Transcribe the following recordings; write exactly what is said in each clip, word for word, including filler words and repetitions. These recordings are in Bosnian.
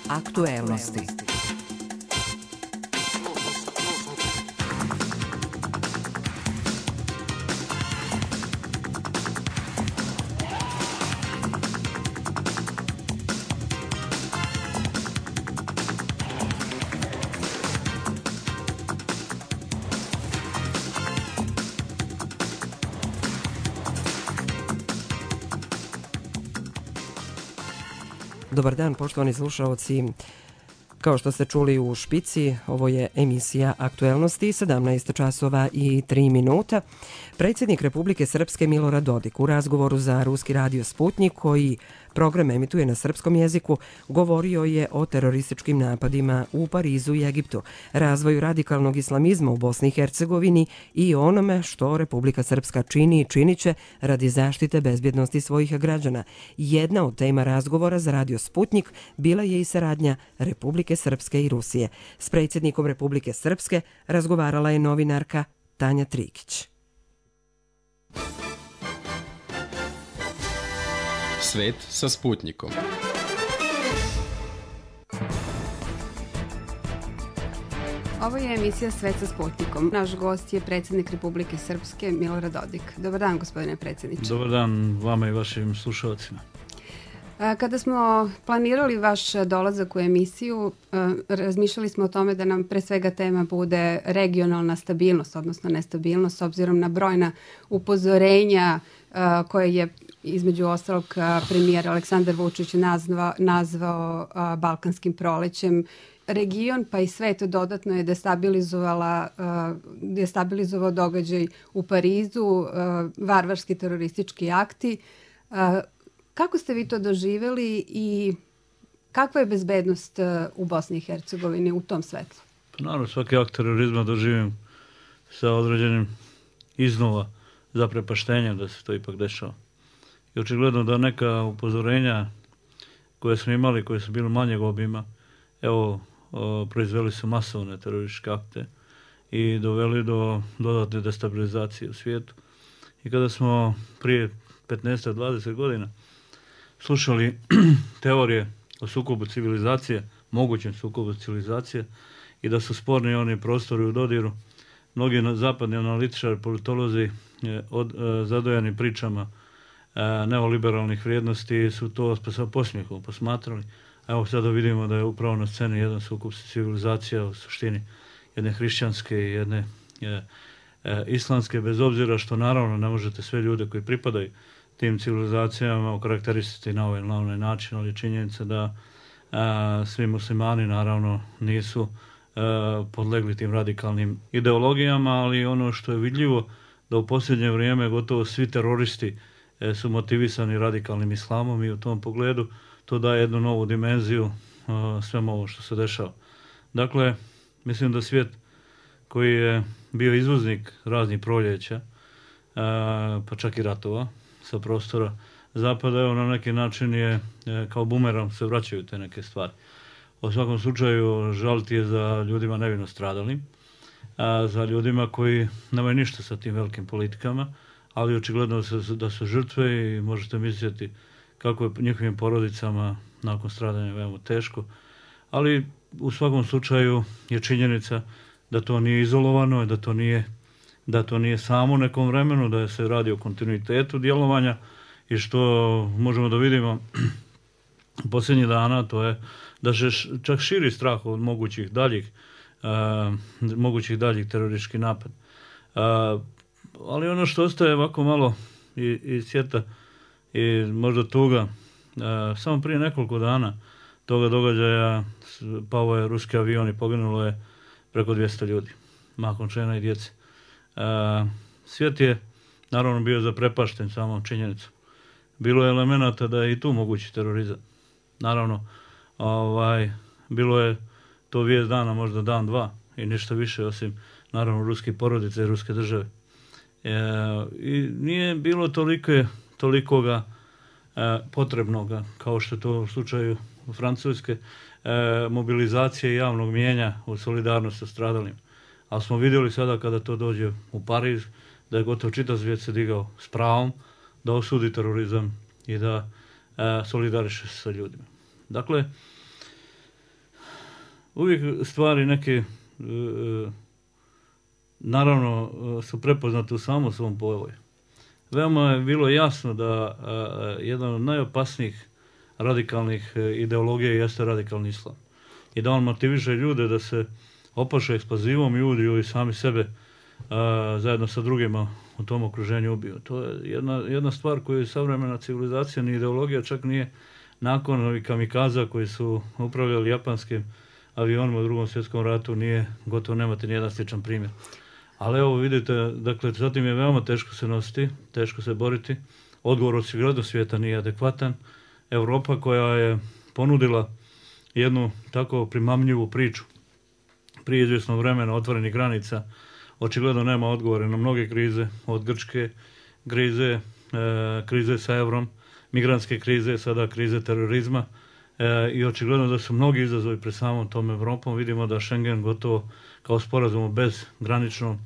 Aktuelnosti. Dobar dan, poštovani slušaoci. Kao što ste čuli u špici, ovo je emisija Aktuelnosti, sedamnaest časova i tri minuta. Predsjednik Republike Srpske Milorad Dodik u razgovoru za ruski radio Sputnik, koji program emituje na srpskom jeziku, govorio je o terorističkim napadima u Parizu i Egiptu, razvoju radikalnog islamizma u Bosni i Hercegovini i onome što Republika Srpska čini i činiće radi zaštite bezbjednosti svojih građana. Jedna od tema razgovora za radio Sputnik bila je i saradnja Republike Srpske i Rusije. S predsjednikom Republike Srpske razgovarala je novinarka Tanja Trikić. Svet sa Sputnikom. Ovo je emisija Svet sa Sputnikom. Naš gost je predsjednik Republike Srpske Milorad Dodik. Dobar dan, gospodine predsjedniče. Dobar dan vama i vašim slušalcima. Kada smo planirali vaš dolazak u emisiju, razmišljali smo o tome da nam pre svega tema bude regionalna stabilnost, odnosno nestabilnost, s obzirom na brojna upozorenja koje je između ostalog premijer Aleksandar Vučić nazvao, nazvao balkanskim prolećem. Region pa i svet dodatno je destabilizovala, destabilizovao događaj u Parizu, varvarski teroristički akti. Kako ste vi to doživjeli i kakva je bezbednost u Bosni i Hercegovini u tom svetlu? Pa naravno, svaki akt terorizma doživim sa određenim iznova zaprepaštenjem da se to ipak dešava. I očigledno da neka upozorenja koje smo imali, koje su bili manjeg obima, evo, o, proizveli su masovne terorističke akte i doveli do dodatne destabilizacije u svijetu. I kada smo prije petnaest do dvadeset godina slušali teorije o sukobu civilizacije, mogućem sukobu civilizacije i da su sporni oni prostori u dodiru, mnogi zapadni analitičari, politolozi od, zadojani pričama neoliberalnih vrijednosti su to sa posmijehom posmatrali. A evo sada vidimo da je upravo na sceni jedan sukob civilizacija u suštini jedne hrišćanske i jedne je, e, islamske, bez obzira što naravno ne možete sve ljude koji pripadaju tim civilizacijama okarakterisati na ovaj, na ovaj način, ali činjenica da a, svi muslimani naravno nisu a, podlegli tim radikalnim ideologijama, ali ono što je vidljivo da u posljednje vrijeme gotovo svi teroristi e, su motivisani radikalnim islamom i u tom pogledu to daje jednu novu dimenziju a, svemu ovo što se dešava. Dakle, mislim da svijet koji je bio izvoznik raznih proljeća, a, pa čak i ratova, sa prostora zapada, evo na neki način je kao bumerang se vraćaju te neke stvari. U svakom slučaju žaliti je za ljudima nevino stradalim, a za ljudima koji nemaju ništa sa tim velikim politikama, ali očigledno da su žrtve i možete misliti kako je njihovim porodicama nakon stradanja veoma teško. Ali u svakom slučaju je činjenica da to nije izolovano, da to nije da to nije samo u nekom vremenu, da se radi o kontinuitetu djelovanja i što možemo da vidimo posljednjih dana, to je da se čak širi strah od mogućih daljih, uh, mogućih daljih terorističkih napada. Uh, ali ono što ostaje ovako malo i, i sjeta i možda tuga, uh, samo prije nekoliko dana toga događaja pao je ruski avion i poginulo je preko dvjesto ljudi, mahom žena i djece. Uh, svijet je naravno bio zaprepašten samom činjenicom. Bilo je elemenata da je i tu mogući terorizam. Naravno, ovaj, bilo je to vijest dana, možda dan, dva i ništa više osim naravno ruskih porodica i ruske države. E, I nije bilo tolike, tolikoga e, potrebnoga, kao što je to u slučaju u Francuske, e, mobilizacije javnog mijenja u solidarnost sa stradalim. Ali smo vidjeli sada kada to dođe u Pariz, da je gotovo čitav svijet se digao s pravom da osudi terorizam i da e, solidariše se sa ljudima. Dakle, uvijek stvari neke e, naravno su prepoznate u samom svom povoju. Veoma je bilo jasno da a, jedan od najopasnijih radikalnih ideologija jeste radikalni islam. I da on motiviše ljude da se opaše eksplozivom i udiju i sami sebe a, zajedno sa drugima u tom okruženju ubiju. To je jedna, jedna stvar koju savremena civilizacija ni ideologija čak nije nakon ovih kamikaza koji su upravljali japanskim avionima u drugom svjetskom ratu nije gotovo nemate nijedan sličan primjer. Ali evo vidite, dakle, zatim je veoma teško se nositi, teško se boriti. Odgovor od sviglednog svijeta nije adekvatan. Europa koja je ponudila jednu tako primamljivu priču prije izvjesnog vremena otvorenih granica, očigledno nema odgovore na mnoge krize, od grčke krize, e, krize sa eurom, migrantske krize, sada krize terorizma e, i očigledno da su mnogi izazovi pred samom tom Evropom. Vidimo da Schengen gotovo kao sporazum bez graničnom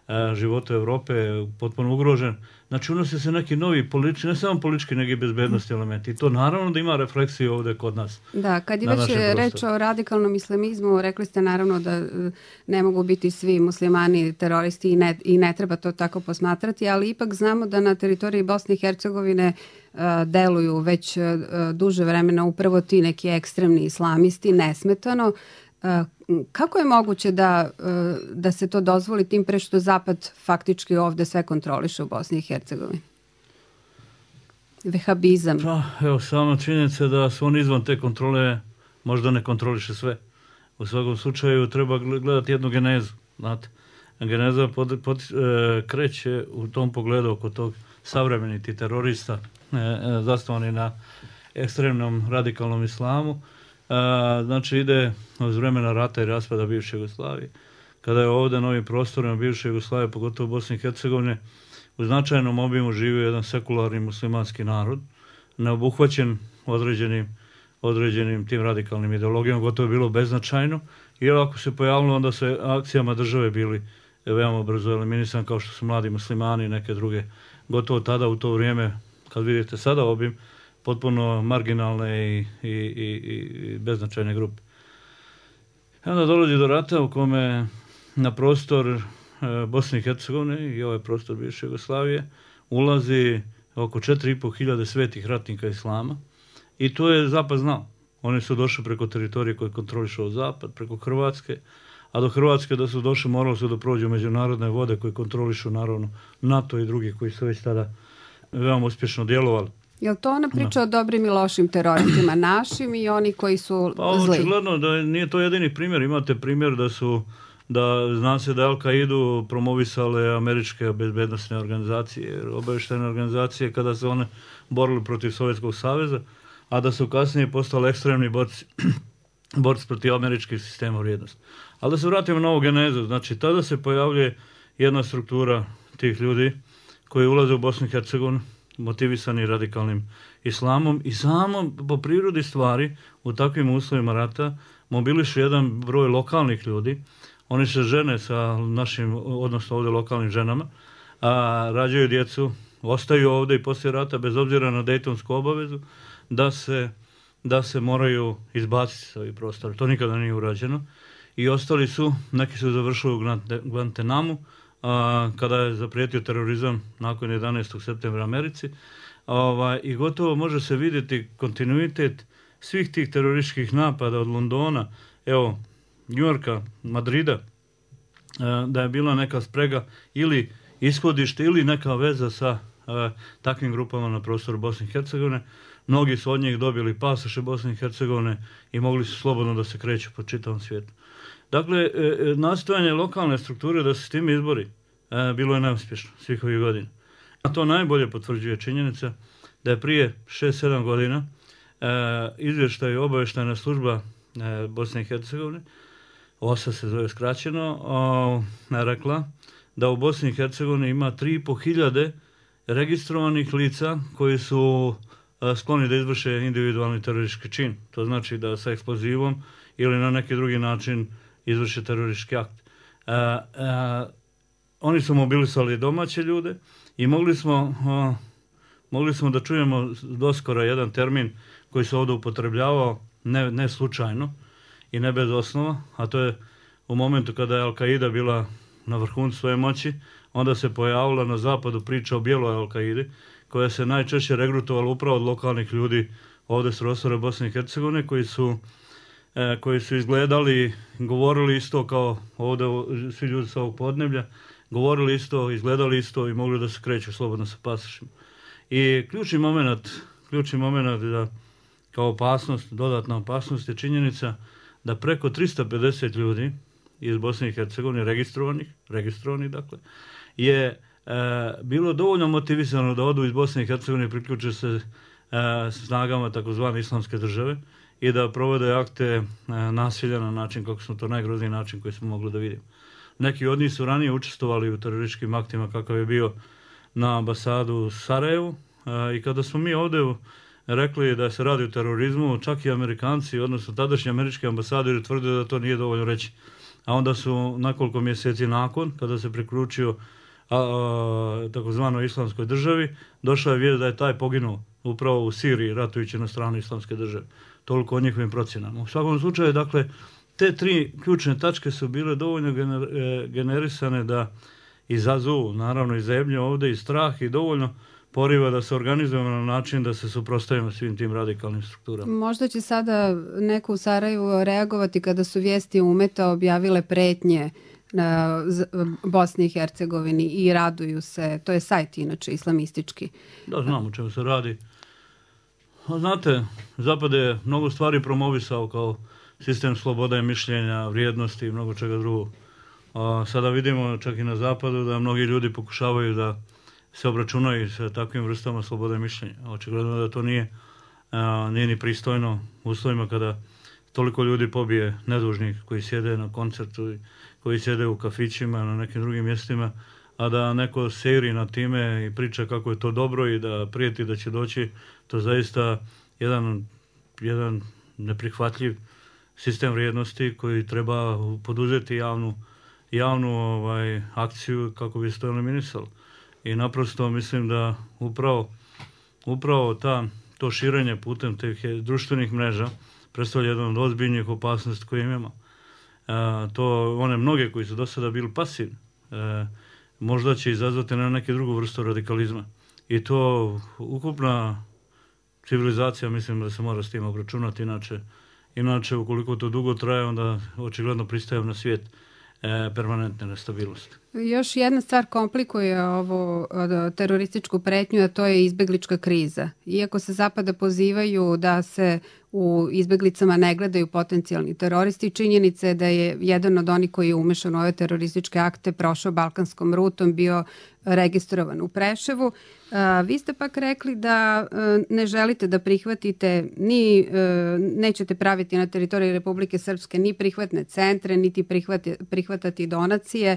e, životu Evrope je potpuno ugrožen. Znači unosi se neki novi politički, ne samo politički, nego i bezbednosti elementi. I to naravno da ima refleksiju ovdje kod nas. Da, kad je već reč o radikalnom islamizmu, rekli ste naravno da ne mogu biti svi muslimani teroristi i ne, i ne treba to tako posmatrati, ali ipak znamo da na teritoriji Bosne i Hercegovine uh, deluju već uh, duže vremena upravo ti neki ekstremni islamisti, nesmetano. Kako je moguće da, da se to dozvoli tim pre što Zapad faktički ovdje sve kontroliše u Bosni i Hercegovini? Vehabizam. Pa, evo, sama činjenica da su oni izvan te kontrole možda ne kontroliše sve. U svakom slučaju treba gledati jednu genezu. Znate, geneza pod, pod, e, kreće u tom pogledu oko tog savremeniti terorista e, e, zasnovani na ekstremnom radikalnom islamu. A, znači ide od vremena rata i raspada bivše Jugoslavije. Kada je ovdje novim prostorima bivše Jugoslavije, pogotovo u Bosni i Hercegovine, u značajnom obimu živio jedan sekularni muslimanski narod, neobuhvaćen određenim, određenim tim radikalnim ideologijama, gotovo je bilo beznačajno, jer ako se pojavilo, onda se akcijama države bili veoma brzo eliminisan, kao što su mladi muslimani i neke druge. Gotovo tada u to vrijeme, kad vidite sada obim, potpuno marginalne i, i, i, i beznačajne grupe. I onda dolazi do rata u kome na prostor e, Bosne i Hercegovine i ovaj prostor bivše Jugoslavije ulazi oko četiri i pol hiljade svetih ratnika islama i to je Zapad znao. Oni su došli preko teritorije koje kontrolišao Zapad, preko Hrvatske, a do Hrvatske da su došli morali su da prođu međunarodne vode koje kontrolišu naravno NATO i drugi koji su već tada veoma uspješno djelovali. Je li to ona priča no. o dobrim i lošim teroristima, našim i oni koji su pa, zli? Očigledno da nije to jedini primjer. Imate primjer da su, da zna se da Al-Kaidu promovisale američke bezbednostne organizacije, obavještajne organizacije kada se one borili protiv Sovjetskog saveza, a da su kasnije postali ekstremni borci, borci protiv američkih sistema vrijednosti. Ali da se vratimo na ovu genezu, znači tada se pojavljuje jedna struktura tih ljudi koji ulaze u Bosnu i Hercegovinu, motivisani radikalnim islamom i samo po prirodi stvari u takvim uslovima rata mobilišu jedan broj lokalnih ljudi. Oni se žene sa našim, odnosno ovdje lokalnim ženama, a rađaju djecu, ostaju ovdje i poslije rata bez obzira na Dejtonsku obavezu da se, da se moraju izbaciti sa ovih prostora. To nikada nije urađeno. I ostali su, neki su završili u Guantanamu, a, kada je zaprijetio terorizam nakon jedanaestog septembra Americi. Ovaj, I gotovo može se vidjeti kontinuitet svih tih terorističkih napada od Londona, evo, Njujorka, Madrida, a, da je bila neka sprega ili ishodište ili neka veza sa a, takvim grupama na prostoru Bosne i Hercegovine. Mnogi su od njih dobili pasoše Bosne i Hercegovine i mogli su slobodno da se kreću po čitavom svijetu. Dakle, nastojanje lokalne strukture da se s tim izbori bilo je neuspješno svih ovih godina. A to najbolje potvrđuje činjenica da je prije šest sedam godina izvještaj obavještajna služba Bosne i Hercegovine, O S A se zove skraćeno, rekla da u Bosni i Hercegovini ima tri i pol hiljade registrovanih lica koji su skloni da izvrše individualni teroristički čin. To znači da sa eksplozivom ili na neki drugi način izvrše teroristički akt. A, a, oni su mobilisali domaće ljude i mogli smo, a, mogli smo da čujemo doskora jedan termin koji se ovdje upotrebljavao ne, ne slučajno i ne bez osnova, a to je u momentu kada je Al-Qaida bila na vrhuncu svoje moći, onda se pojavila na zapadu priča o bijeloj Al-Qaidi, koja se najčešće regrutovala upravo od lokalnih ljudi ovdje s prostora Bosne i Hercegovine, koji su, e, koji su izgledali, govorili isto kao ovdje svi ljudi sa ovog podneblja, govorili isto, izgledali isto i mogli da se kreću slobodno sa pasošima. I ključni moment, ključni moment da kao opasnost, dodatna opasnost je činjenica da preko tristo pedeset ljudi iz Bosne i Hercegovine, registrovanih, registrovanih dakle, je e, bilo dovoljno motivisano da odu iz Bosne i Hercegovine i priključe se e, snagama takozvane islamske države i da provode akte e, nasilja na način kako smo to najgrozniji način koji smo mogli da vidimo. Neki od njih su ranije učestvovali u terorističkim aktima kakav je bio na ambasadu u Sarajevu e, i kada smo mi ovdje rekli da se radi o terorizmu, čak i Amerikanci, odnosno tadašnji američki ambasadori tvrdili da to nije dovoljno reći. A onda su nekoliko mjeseci nakon, kada se priključio a, a, takozvanoj islamskoj državi, došla je vijest da je taj poginuo upravo u Siriji, ratujući na stranu islamske države. Toliko o njihovim procjenama. U svakom slučaju, dakle, te tri ključne tačke su bile dovoljno gener, e, generisane da izazovu, naravno, i zebnje ovdje i strah i dovoljno poriva da se organizujemo na način da se suprotstavimo svim tim radikalnim strukturama. Možda će sada neko u Sarajevu reagovati kada su vijesti Umeta objavile pretnje na Bosni i Hercegovini i raduju se. To je sajt inače islamistički. Da, znam o čemu se radi. Znate, Zapad je mnogo stvari promovisao kao sistem slobode mišljenja, vrijednosti i mnogo čega drugog. A sada vidimo čak i na Zapadu da mnogi ljudi pokušavaju da se obračunaju sa takvim vrstama slobode mišljenja. Očigledno da to nije, a, nije ni pristojno u uslovima kada toliko ljudi pobije nedužnih koji sjede na koncertu, koji sjede u kafićima, na nekim drugim mjestima, a da neko seri na time i priča kako je to dobro i da prijeti da će doći, to zaista jedan, jedan neprihvatljiv sistem vrijednosti koji treba poduzeti javnu, javnu ovaj, akciju kako bi se to eliminisalo. I naprosto mislim da upravo, upravo ta, to širenje putem tih društvenih mreža predstavlja jedan od ozbiljnih opasnosti koje imamo. E, to one mnoge koji su do sada bili pasivni, e, možda će izazvati na neke drugu vrstu radikalizma. I to ukupna civilizacija, mislim da se mora s tim obračunati, inače, inače ukoliko to dugo traje, onda očigledno pristajem na svijet e, permanentne nestabilnosti. Još jedna stvar komplikuje ovo terorističku pretnju, a to je izbeglička kriza. Iako se Zapada pozivaju da se u izbeglicama ne gledaju potencijalni teroristi, činjenica je da je jedan od onih koji je umešan u ove terorističke akte prošao balkanskom rutom, bio registrovan u Preševu. Vi ste pak rekli da ne želite da prihvatite, ni nećete praviti na teritoriji Republike Srpske ni prihvatne centre, niti prihvati, prihvatati donacije.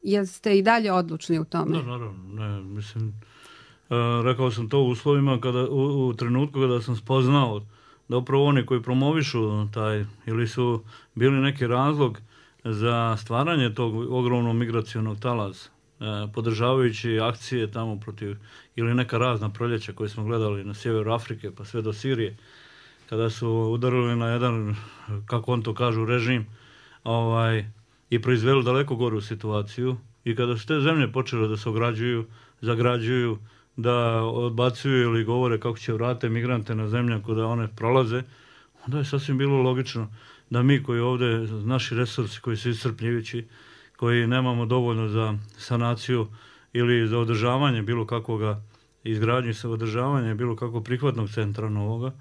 Jeste i dalje odlučni u tome? Da, naravno. Ne, mislim, rekao sam to u uslovima, kada, u, u trenutku kada sam spoznao da upravo oni koji promovišu taj, ili su bili neki razlog za stvaranje tog ogromnog migracionog talasa, podržavajući akcije tamo protiv, ili neka razna proljeća koje smo gledali na sjeveru Afrike pa sve do Sirije, kada su udarili na jedan, kako on to kažu, režim, ovaj, i proizveli daleko goru situaciju, i kada su te zemlje počele da se ograđuju, zagrađuju, da odbacuju ili govore kako će vratiti migrante na zemlju kada one prolaze, onda je sasvim bilo logično da mi koji ovdje, naši resursi koji su iscrpljujući, koji nemamo dovoljno za sanaciju ili za održavanje bilo kakvoga izgradnje sa održavanje bilo kakvog prihvatnog centra novoga,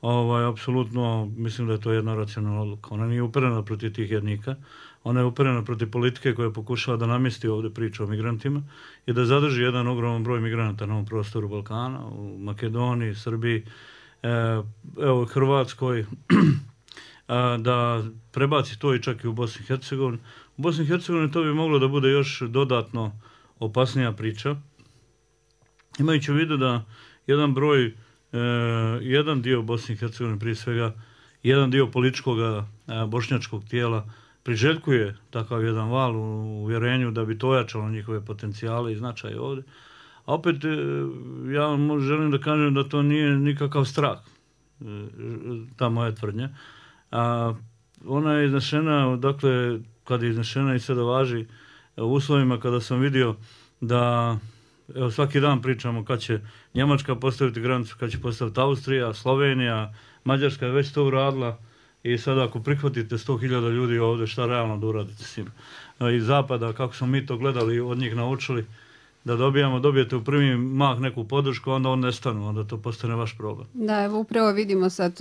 ovaj, apsolutno mislim da je to jedna racionalna odluka. Ona nije uperena protiv tih jednika, ona je uperena protiv politike koja pokušava da namjesti ovdje priču o migrantima i da zadrži jedan ogroman broj migranata na ovom prostoru Balkana, u Makedoniji, Srbiji, evo Hrvatskoj, da prebaci to i čak i u Bosni i Hercegovini. U Bosni i Hercegovini to bi moglo da bude još dodatno opasnija priča, imajući u vidu da jedan broj, eh, jedan dio Bosne i Hercegovine, prije svega jedan dio političkog eh, bošnjačkog tijela priželjkuje takav jedan val u uvjerenju da bi to ojačalo njihove potencijale i značaje ovdje. A opet eh, ja vam želim da kažem da to nije nikakav strah, eh, ta moja tvrdnja. A ona je iznešena, dakle, kad je iznešena i sada važi u uslovima kada sam vidio da, evo, svaki dan pričamo kad će Njemačka postaviti granicu, kad će postaviti Austrija, Slovenija, Mađarska je već to uradila i sada ako prihvatite sto hiljada ljudi ovdje, šta realno da uradite s njim? Iz zapada, kako smo mi to gledali, od njih naučili, da dobijamo, dobijete u prvi mah neku podršku, onda on nestanu, onda to postane vaš problem. Da, evo upravo vidimo sad,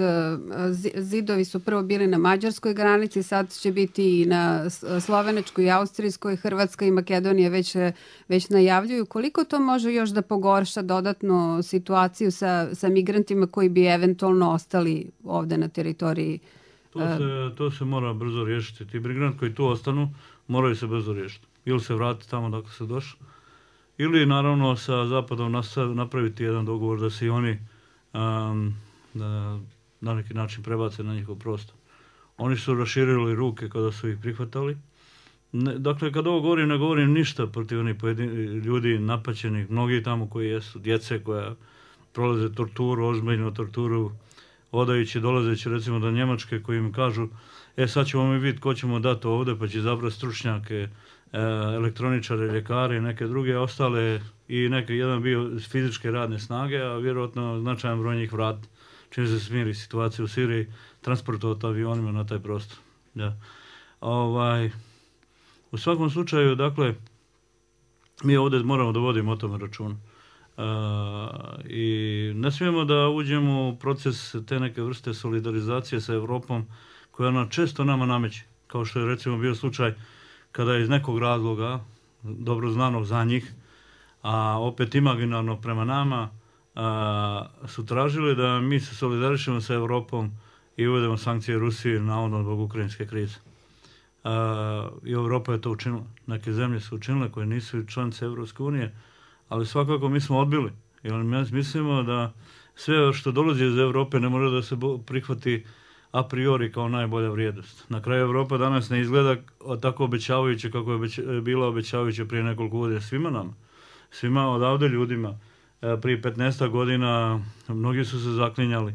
zidovi su prvo bili na mađarskoj granici, sad će biti i na slovenačkoj i austrijskoj, Hrvatska i Makedonija već, već najavljuju. Koliko to može još da pogorša dodatno situaciju sa, sa migrantima koji bi eventualno ostali ovde na teritoriji? To se, to se mora brzo riješiti. Ti migranti koji tu ostanu moraju se brzo riješiti. Ili se vratiti tamo dok se došli, ili naravno sa Zapadom napraviti jedan dogovor da se i oni um, da, na neki način prebace na njihov prostor. Oni su raširili ruke kada su ih prihvatali. Ne, dakle, kada ovo govorim, ne govorim ništa protiv onih ljudi napaćenih, mnogi tamo koji jesu, djece koja prolaze torturu, ozbiljnu torturu, odajući, dolazeći recimo do Njemačke koji im kažu, e sad ćemo mi vidjeti ko ćemo dati ovdje, pa će zabrati stručnjake, elektroničare, ljekari, neke druge ostale i neke, jedan bio fizičke radne snage, a vjerojatno značajan broj njih vrat, čim se smiri situacija u Siriji, transportovati avionima na taj prostor. Ja. Ovaj, u svakom slučaju, dakle, mi ovdje moramo da vodimo o tome računa. Uh, I ne smijemo da uđemo u proces te neke vrste solidarizacije sa Evropom koja ona često nama nameće, kao što je recimo bio slučaj kada je iz nekog razloga, dobro znanog za njih, a opet imaginarno prema nama, a, su tražili da mi se solidarišemo sa Evropom i uvedemo sankcije Rusiji navodno zbog ukrajinske krize. A, I Evropa je to učinila. Neke zemlje su učinile koje nisu članice Evropske unije, ali svakako mi smo odbili. Jer mi mislimo da sve što dolazi iz Evrope ne može da se prihvati a priori kao najbolja vrijednost. Na kraju Evropa danas ne izgleda tako obećavajuće kako je obeć, bila obećavajuća prije nekoliko godina svima nama. Svima odavde ljudima. Prije petnaest godina mnogi su se zaklinjali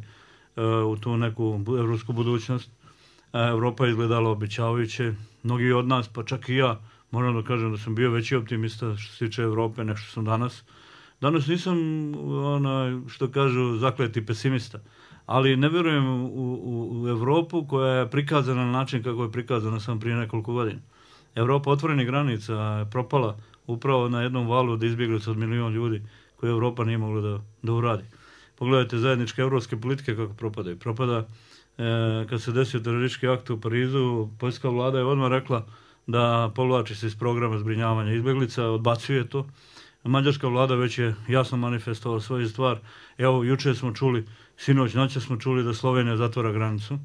u tu neku evropsku budućnost. Evropa je izgledala obećavajuće. Mnogi od nas, pa čak i ja, moram da kažem da sam bio veći optimista što se tiče Evrope nego što sam danas. Danas nisam, ona, što kažu, zakleti pesimista. Ali ne vjerujem u, u, u Evropu koja je prikazana na način kako je prikazana sam prije nekoliko godina. Evropa otvorenih granica je propala upravo na jednom valu od izbjeglica od milion ljudi koje Evropa nije mogla da, da uradi. Pogledajte zajedničke evropske politike kako propadaju. Propada e, kad se desio teroristički akt u Parizu, poljska vlada je odmah rekla da povlači se iz programa zbrinjavanja izbjeglica, odbacuje to. Mađarska vlada već je jasno manifestovala svoju stvar. Evo, juče smo čuli, sinoć noće smo čuli da Slovenija zatvara granicu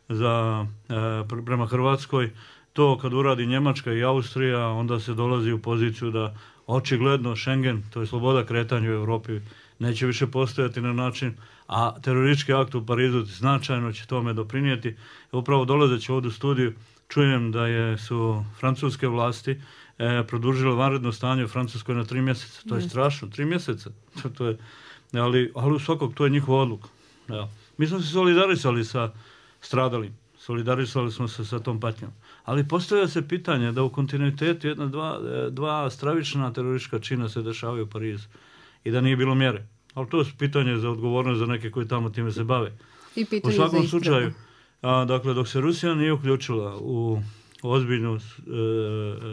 za, e, prema Hrvatskoj. To kad uradi Njemačka i Austrija, onda se dolazi u poziciju da očigledno Schengen, to je sloboda kretanja u Evropi, neće više postojati na način, a teroristički akt u Parizu značajno će tome doprinijeti. Upravo dolazeći ovdje u studiju, čujem da je, su francuske vlasti e, produžile vanredno stanje u Francuskoj na tri mjeseca. To je strašno, tri mjeseca. To, to je, ali, ali u svakog to je njihova odluka. Ja. Mi smo se solidarisali sa stradalim, solidarisali smo se sa tom patnjom. Ali postavlja se pitanje da u kontinuitetu jedna, dva, dva stravična teroristička čina se dešavaju u Parizu i da nije bilo mjere. Ali to je pitanje za odgovornost za neke koji tamo time se bave. I pitanje u svakom za slučaju, a, dakle, dok se Rusija nije uključila u ozbiljnu e,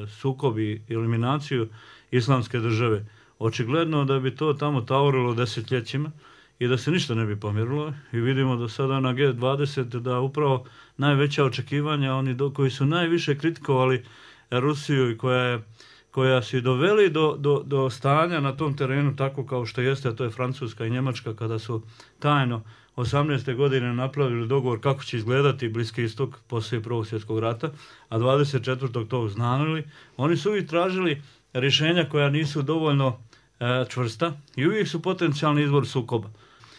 sukob i eliminaciju islamske države, očigledno da bi to tamo tavorilo desetljećima i da se ništa ne bi pomjerilo. I vidimo da sada na G dvadeset da upravo najveća očekivanja, oni do, koji su najviše kritikovali Rusiju i koja je koja su doveli do, do, do stanja na tom terenu tako kao što jeste, a to je Francuska i Njemačka, kada su tajno osamnaeste godine napravili dogovor kako će izgledati Bliski istok poslije Prvog svjetskog rata, a dvadeset četvrtog to uznanili. Oni su uvijek tražili rješenja koja nisu dovoljno e, čvrsta i uvijek su potencijalni izvor sukoba.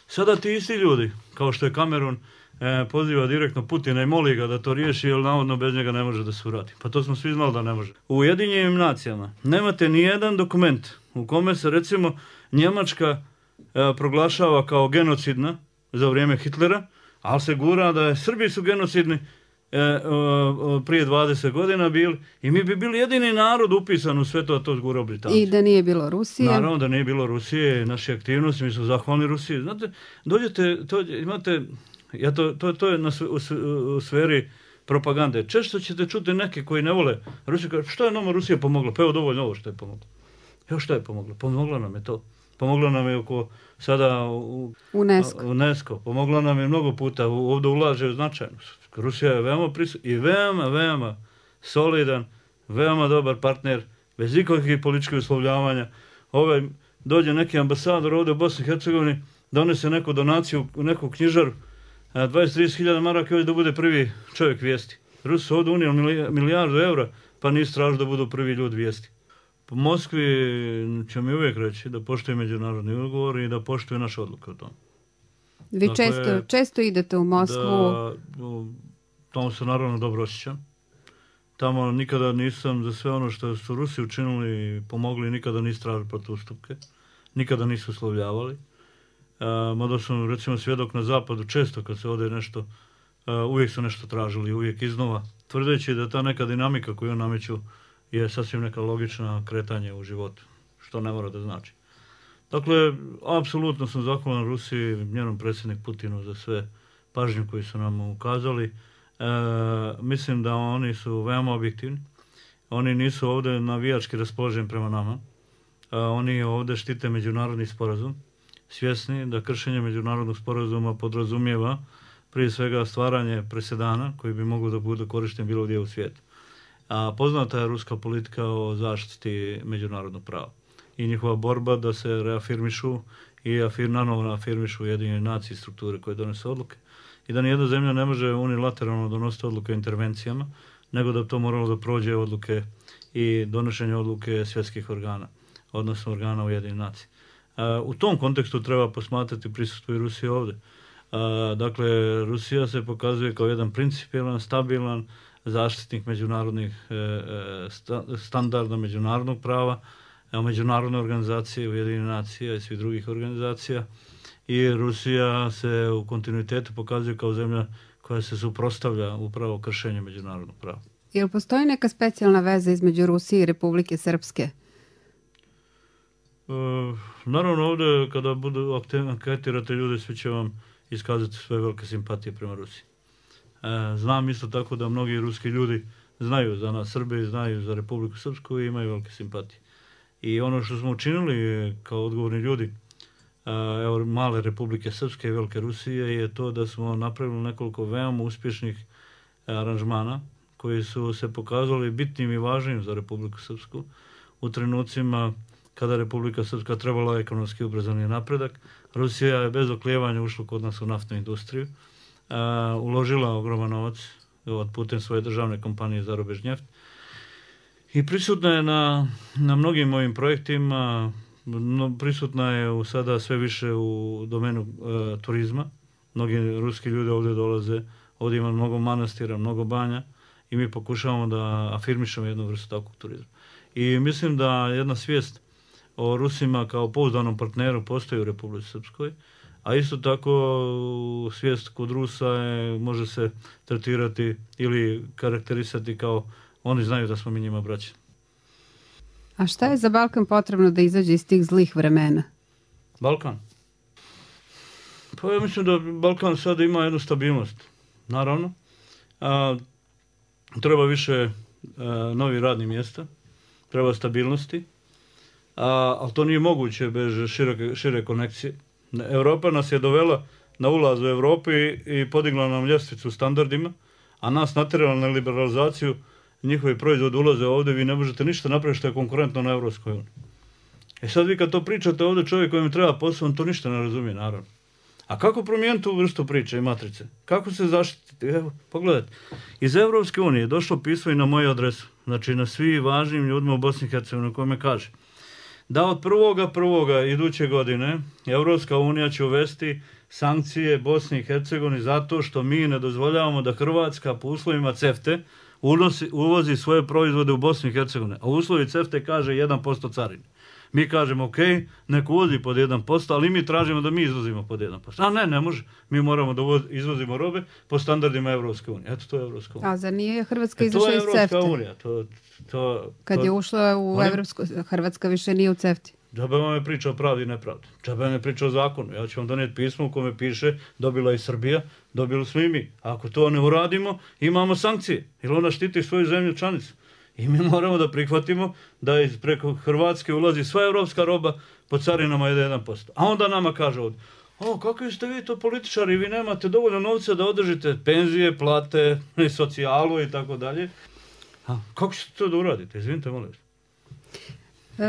Sada ti isti ljudi, kao što je Kamerun, e, poziva direktno Putina i moli ga da to riješi, jer navodno bez njega ne može da se uradi. Pa to smo svi znali da ne može. U Ujedinjenim nacijama nemate ni jedan dokument u kome se recimo Njemačka e, proglašava kao genocidna za vrijeme Hitlera, ali se gura da je Srbi su genocidni e, o, o, prije dvadeset godina bili i mi bi bili jedini narod upisan u sve to, a to zgurao Britanci. I da nije bilo Rusije. Naravno da nije bilo Rusije, naše aktivnosti, mi smo zahvalni Rusiji. Znate, dođete, to, imate, ja to, to, to je na, u, u sferi propagande. Često ćete čuti neke koji ne vole Rusiju, kaže, što je nama Rusija pomogla? Pa evo dovoljno ovo što je pomogla. Evo što je pomogla? Pomogla nam je to. Pomogla nam je oko sada u, UNESCO. UNESCO. Pomogla nam je mnogo puta, ovdje ulaže značajno. Rusija je veoma prisutna i veoma, veoma solidan, veoma dobar partner, bez ikakvih političkih uslovljavanja. Ovaj, dođe neki ambasador ovdje u Bosni i Hercegovini, donese neku donaciju u neku knjižaru, dvadeset do trideset hiljada maraka da bude prvi čovjek vijesti. Rusi su ovdje unijeli milijardu eura, pa nisu tražili da budu prvi ljudi vijesti. Po Moskvi će mi uvijek reći da poštuje međunarodni ugovor i da poštuje naše odluke o tom. Vi dakle, često, često idete u Moskvu. Da, tamo se naravno dobro osjećam. Tamo nikada nisam za sve ono što su Rusi učinili i pomogli, nikada nisu tražili protustupke. Nikada nisu uslovljavali. Uh, mada sam recimo svjedok na zapadu, često kad se ode nešto, uh, uvijek su nešto tražili, uvijek iznova, tvrdeći da ta neka dinamika koju nameću je sasvim neka logična kretanje u životu, što ne mora da znači. Dakle, apsolutno sam zahvalan Rusiji, njenom predsjednik Putinu za sve pažnju koju su nam ukazali. E, mislim da oni su veoma objektivni. Oni nisu ovdje navijački raspoloženi prema nama. E, oni ovdje štite međunarodni sporazum, svjesni da kršenje međunarodnog sporazuma podrazumijeva prije svega stvaranje presedana koji bi mogli da bude korišten bilo gdje u svijetu. A poznata je ruska politika o zaštiti međunarodnog prava i njihova borba da se reafirmišu i afir, nanovo afirmišu Ujedinjene nacije strukture koje donese odluke i da nijedna zemlja ne može unilateralno donositi odluke o intervencijama, nego da to moralo da prođe odluke i donošenje odluke svjetskih organa, odnosno organa Ujedinjenih nacija. U tom kontekstu treba posmatrati prisustvo i Rusije ovdje. Dakle, Rusija se pokazuje kao jedan principijelan, stabilan zaštitnik međunarodnih standarda međunarodnog prava, međunarodne organizacije, Ujedinjene nacije i svih drugih organizacija. I Rusija se u kontinuitetu pokazuje kao zemlja koja se suprotstavlja upravo kršenju međunarodnog prava. Jel postoji neka specijalna veza između Rusije i Republike Srpske? E, naravno ovdje kada budu anketirate ljude, svi će vam iskazati svoje velike simpatije prema Rusiji. E, znam isto tako da mnogi ruski ljudi znaju za nas Srbe i znaju za Republiku Srpsku i imaju velike simpatije. I ono što smo učinili kao odgovorni ljudi evo, male Republike Srpske i Velike Rusije je to da smo napravili nekoliko veoma uspješnih aranžmana koji su se pokazali bitnim i važnim za Republiku Srpsku u trenucima kada Republika Srpska trebala ekonomski ubrzani napredak. Rusija je bez oklijevanja ušla kod nas u naftnu industriju, a, uložila ogroman novac od putem svoje državne kompanije Zarobežnjeft i prisutna je na, na mnogim ovim projektima, no, prisutna je u sada sve više u domenu e, turizma. Mnogi ruski ljudi ovdje dolaze, ovdje ima mnogo manastira, mnogo banja i mi pokušavamo da afirmišemo jednu vrstu takvog turizma. I mislim da jedna svijest o Rusima kao pouzdanom partneru postoji u Republici Srpskoj, a isto tako svijest kod Rusa je, može se tretirati ili karakterisati kao oni znaju da smo mi njima braća. A šta je za Balkan potrebno da izađe iz tih zlih vremena? Balkan? Pa ja mislim da Balkan sada ima jednu stabilnost. Naravno. A, treba više a, novih radnih mjesta, treba stabilnosti, a, ali to nije moguće bez široke, šire konekcije. Europa nas je dovela na ulaz u Evropu i, i podigla nam ljestvicu standardima, a nas natjerala na liberalizaciju. Njihovi proizvodi ulaze ovdje, vi ne možete ništa napraviti što je konkurentno na Evropskoj uniji. E sad vi kad to pričate ovdje, čovjek kojem treba posao, on to ništa ne razumije, naravno. A kako promijeniti tu vrstu priče i matrice? Kako se zaštititi? Evo, pogledajte. Iz Evropske unije je došlo pismo i na moju adresu, znači na svi važnim ljudima u Bosni i Hercegovini, kome kaže da od prvoga prvoga iduće godine Evropska unija će uvesti sankcije Bosni i Hercegovini zato što mi ne dozvoljavamo da Hrvatska po uslovima CEFTA unosi, uvozi svoje proizvode u Bosnu i Hercegovini, a uslovi CEFTA kaže jedan posto carine. Mi kažemo, ok, neko uvozi pod jedan posto, ali mi tražimo da mi izvozimo pod jedan posto. A ne, ne može. Mi moramo da izvozimo robe po standardima Evropske unije. Eto, to je Evropska unija. A za nije Hrvatska izašla iz CEFTA? CEFTA? To je Evropska unija. To, to, Kad to, je ušla u Evropsku, Hrvatska više nije u CEFTI. Džabe vam je priča o pravdi i nepravdi. Džabe vam je priča o zakonu. Ja ću vam donijeti pismo u kome piše dobila i Srbija, dobili smo i mi. A ako to ne uradimo, imamo sankcije. Jer ona štiti svoju zemlju članicu. I mi moramo da prihvatimo da iz preko Hrvatske ulazi sva evropska roba po carinama jedan posto. A onda nama kaže ovdje, o, kakvi ste vi to političari, vi nemate dovoljno novca da održite penzije, plate, socijalu i tako dalje. A kako ćete to da uradite? Izvinite, molim vas.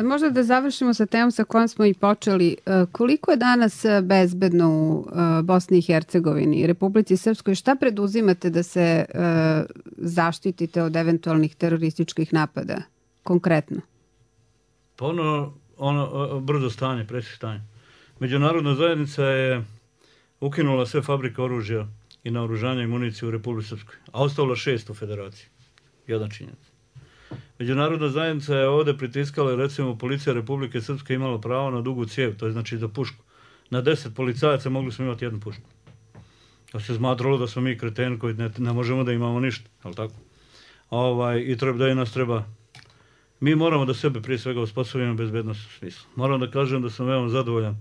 Možda da završimo sa temom sa kojom smo i počeli. Koliko je danas bezbedno u Bosni i Hercegovini i Republici Srpskoj? Šta preduzimate da se zaštitite od eventualnih terorističkih napada? Konkretno. Pa ono, ono brzo stanje, presih stanje. Međunarodna zajednica je ukinula sve fabrike oružja i naoružanja i municije u Republici Srpskoj, a ostavila šest u federaciji. Jedan činjenica. Međunarodna zajednica je ovdje pritiskala i recimo policija Republike Srpske imala pravo na dugu cijev, to je znači za pušku. Na deset policajaca mogli smo imati jednu pušku. To se smatralo da smo mi kreteni koji ne, ne možemo da imamo ništa, ali tako? Ovaj, I treba da je nas treba... Mi moramo da sebe prije svega osposobimo bezbednost u smislu. Moram da kažem da sam veoma zadovoljan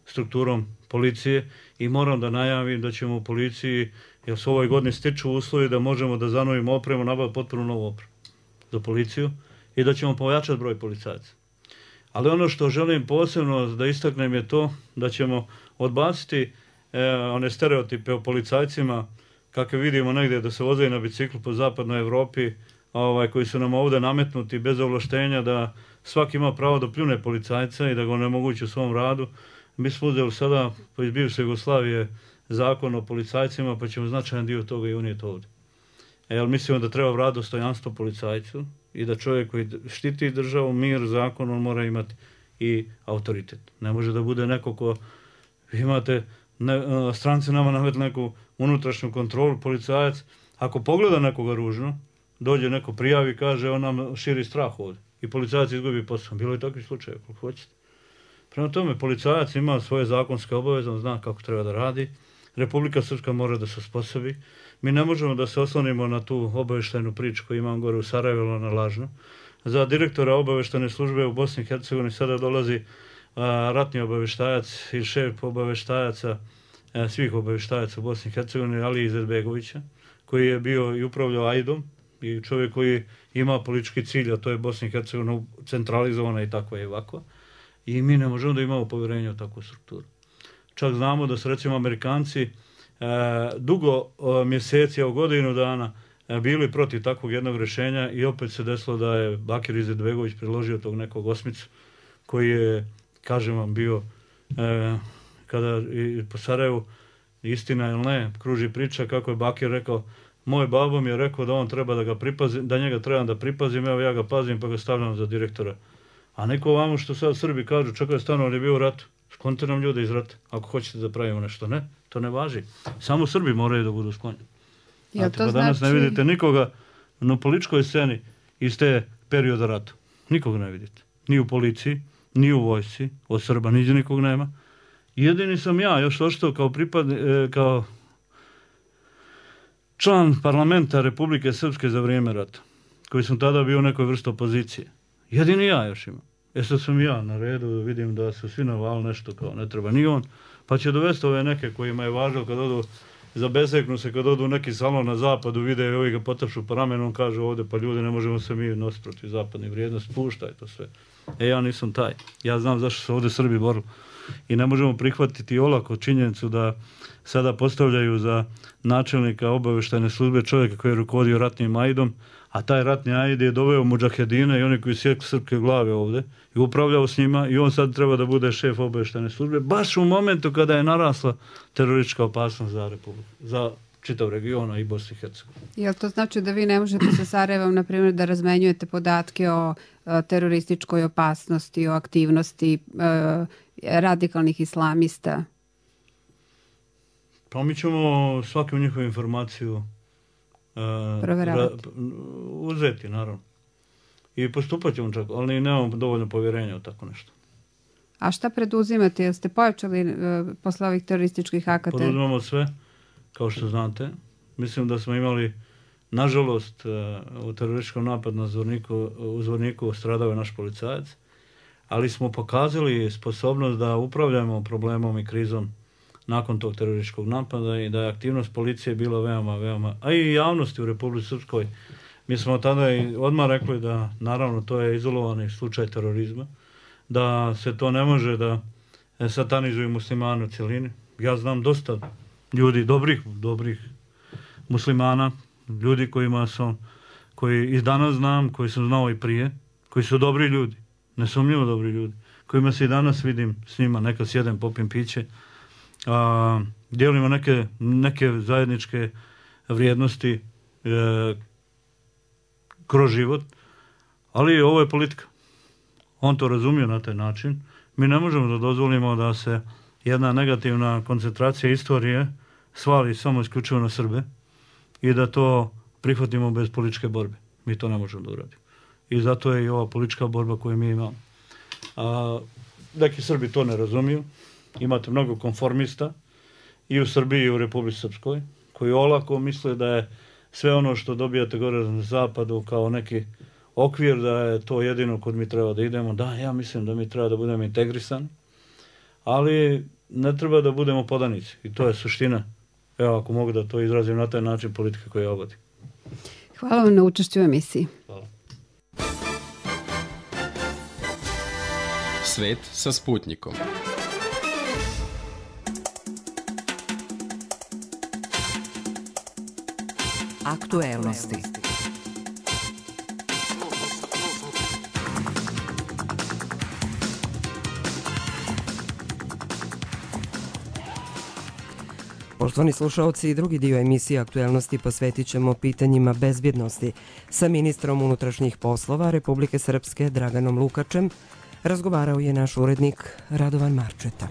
strukturom policije i moram da najavim da ćemo u policiji, jer se u ovoj godini stiču uslovi da možemo da zanovimo opremu, nabaviti potpuno novu opremu za policiju i da ćemo pojačati broj policajaca. Ali ono što želim posebno da istaknem je to da ćemo odbaciti e, one stereotipe o policajcima kakve vidimo negdje da se vozaju na biciklu po zapadnoj Evropi, ovaj, koji su nam ovdje nametnuti bez ovlaštenja da svaki ima pravo da pljune policajca i da ga onemogući u svom radu. Mi smo uzeli sada iz bivše Jugoslavije zakon o policajcima pa ćemo značajan dio toga i unijeti ovdje. Jer mislimo da treba vratiti dostojanstvo policajcu i da čovjek koji štiti državu, mir, zakon, on mora imati i autoritet. Ne može da bude neko ko imate, ne, stranci nama namet neku unutrašnju kontrolu, policajac, ako pogleda nekoga ružno, dođe neko prijavi i kaže on nam širi strah ovdje i policajac izgubi posao. Bilo je takvih slučajeva, koliko hoćete. Prema tome, policajac ima svoje zakonske obaveze, on zna kako treba da radi. Republika Srpska mora da se osposobi. Mi ne možemo da se oslonimo na tu obavještajnu priču koju imam gore u Sarajevu na lažno. Za direktora obavještajne službe u Bosni i Hercegovini sada dolazi a, ratni obavještajac i šef obavještajaca, a, svih obavještajaca u Bosni i Hercegovini, Ali Izetbegovića, koji je bio i upravljao Ajdom i čovjek koji ima politički cilj, a to je Bosna i Hercegovina centralizovana i tako je ovako. I mi ne možemo da imamo povjerenje u takvu strukturu. Čak znamo da su recimo Amerikanci e, dugo o, mjeseci, o godinu dana e, bili protiv takvog jednog rješenja i opet se desilo da je Bakir Izetbegović predložio tog nekog osmicu koji je, kažem vam, bio e, kada i po Sarajevu, istina ili ne, kruži priča kako je Bakir rekao, moj babo mi je rekao da on treba da ga pripazim, da njega trebam da pripazim, evo ja ga pazim pa ga stavljam za direktora. A neko vamo što sad Srbi kažu, čekaj, stano, on je bio u ratu. Sklonite nam ljude iz rata, ako hoćete da pravimo nešto. Ne, to ne važi. Samo Srbi moraju da budu sklonjeni. Ja, to pa danas znači... ne vidite nikoga na političkoj sceni iz te perioda rata. Nikoga ne vidite. Ni u policiji, ni u vojsci, od Srba niđe nikog nema. Jedini sam ja još ostao kao pripad, e, kao član parlamenta Republike Srpske za vrijeme rata, koji sam tada bio u nekoj vrsti opozicije. Jedini ja još imam. E sad sam ja na redu, vidim da su svi navali nešto kao ne treba ni on, pa će dovesti ove neke kojima je važno kad odu, zabeseknu se kad odu u neki salon na zapadu, vide i ovi ga potapšu po ramenom, kažu ovdje pa ljudi ne možemo se mi nositi protiv zapadnih vrijednosti, puštaj to sve. E ja nisam taj, ja znam zašto se ovdje Srbi borili i ne možemo prihvatiti olako činjenicu da sada postavljaju za načelnika obavještajne službe čovjeka koji je rukovodio ratnim ajdom, a taj ratni ajd je doveo mudžahedine i oni koji sjekli srpske glave ovdje i upravljao s njima i on sad treba da bude šef obavještajne službe, baš u momentu kada je narasla teroristička opasnost za Republiku, za čitav region i Bosni i Hercegovini. Jel to znači da vi ne možete sa Sarajevom, na primjer, da razmenjujete podatke o a, terorističkoj opasnosti, o aktivnosti a, radikalnih islamista? Pa mi ćemo svaku njihovu informaciju uh, ra, uzeti, naravno. I postupat ćemo čak, ali nemamo dovoljno povjerenja u tako nešto. A šta preduzimate? Jeste pojačali uh, posle ovih terorističkih akata? Poduzimamo sve, kao što znate. Mislim da smo imali, nažalost, uh, u terorističkom napadu na Zvorniku, u Zvorniku stradao je naš policajac, ali smo pokazali sposobnost da upravljamo problemom i krizom nakon tog terorističkog napada i da je aktivnost policije bila veoma, veoma, a i javnosti u Republici Srpskoj. Mi smo tada i odmah rekli da, naravno, to je izolovani slučaj terorizma, da se to ne može da satanizuju muslimane u cjelini. Ja znam dosta ljudi, dobrih, dobrih muslimana, ljudi kojima sam, koji i danas znam, koji sam znao i prije, koji su dobri ljudi, nesumnjivo dobri ljudi, kojima se i danas vidim s njima, nekad sjedem, popim piće, a, dijelimo neke, neke zajedničke vrijednosti e, kroz život, ali ovo je politika. On to razumije na taj način. Mi ne možemo da dozvolimo da se jedna negativna koncentracija istorije svali samo isključivo na Srbe i da to prihvatimo bez političke borbe. Mi to ne možemo da uradimo. I zato je i ova politička borba koju mi imamo. A, neki Srbi to ne razumiju. Imate mnogo konformista i u Srbiji i u Republici Srpskoj koji olako misle da je sve ono što dobijate gore na zapadu kao neki okvir, da je to jedino kod mi treba da idemo. Da, ja mislim da mi treba da budemo integrisani, ali ne treba da budemo podanici. I to je suština, evo ako mogu da to izrazim na taj način, politika koja ja vodim. Hvala vam na učešću u emisiji. Hvala. Svet sa Sputnikom. Aktuelnosti. Poštovani slušaoci, drugi dio emisije Aktuelnosti posvetit ćemo pitanjima bezbjednosti. Sa ministrom unutrašnjih poslova Republike Srpske Draganom Lukačem razgovarao je naš urednik Radovan Marčeta.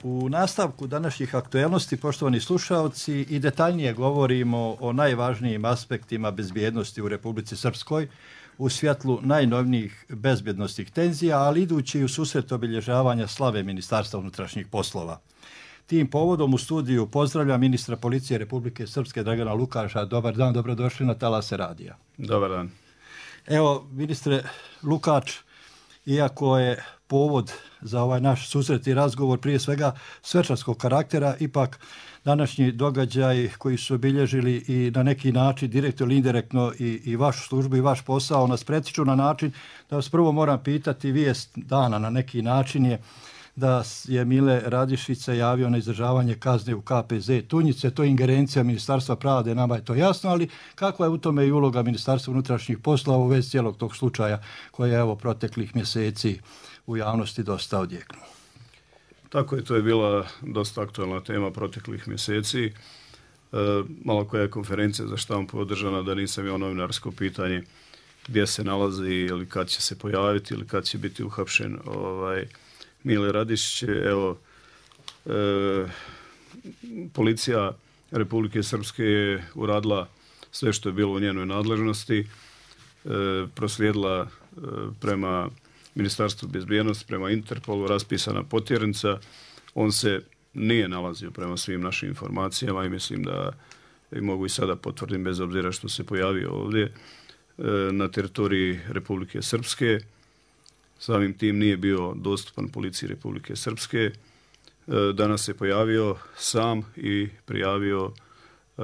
U nastavku današnjih aktuelnosti, poštovani slušaoci, i detaljnije govorimo o najvažnijim aspektima bezbjednosti u Republici Srpskoj u svjetlu najnovnijih bezbjednostnih tenzija, ali idući u susret obilježavanja slave Ministarstva unutrašnjih poslova. Tim povodom u studiju pozdravljam ministra policije Republike Srpske Dragana Lukača. Dobar dan, dobrodošli na Talase radija. Dobar dan. Evo, ministre Lukač, iako je povod za ovaj naš susret i razgovor prije svega svečarskog karaktera, ipak današnji događaj koji su obilježili i na neki način direktno ili indirektno i, i vašu službu i vaš posao nas pretiču na način da vas prvo moram pitati, vijest dana na neki način je da je Mile Radišica javio na izdržavanje kazne u K P Z Tunjice. To je ingerencija Ministarstva pravde, nama je to jasno, ali kakva je u tome i uloga Ministarstva unutrašnjih poslova u vezi cijelog tog slučaja koja je evo proteklih mjeseci u javnosti dosta odjeknuo? Tako je, to je bila dosta aktualna tema proteklih mjeseci. E, malo koja je konferencija za štampu održana, da nisam imao novinarsko pitanje gdje se nalazi ili kad će se pojaviti ili kad će biti uhapšen ovaj, Mile Radišić. Evo, e, policija Republike Srpske je uradila sve što je bilo u njenoj nadležnosti, e, proslijedila e, prema Ministarstvu bezbjednosti, prema Interpolu, raspisana potjernica. On se nije nalazio prema svim našim informacijama i mislim da i mogu i sada potvrdim bez obzira što se pojavio ovdje e, na teritoriji Republike Srpske. Samim tim nije bio dostupan policiji Republike Srpske. E, danas se pojavio sam i prijavio e,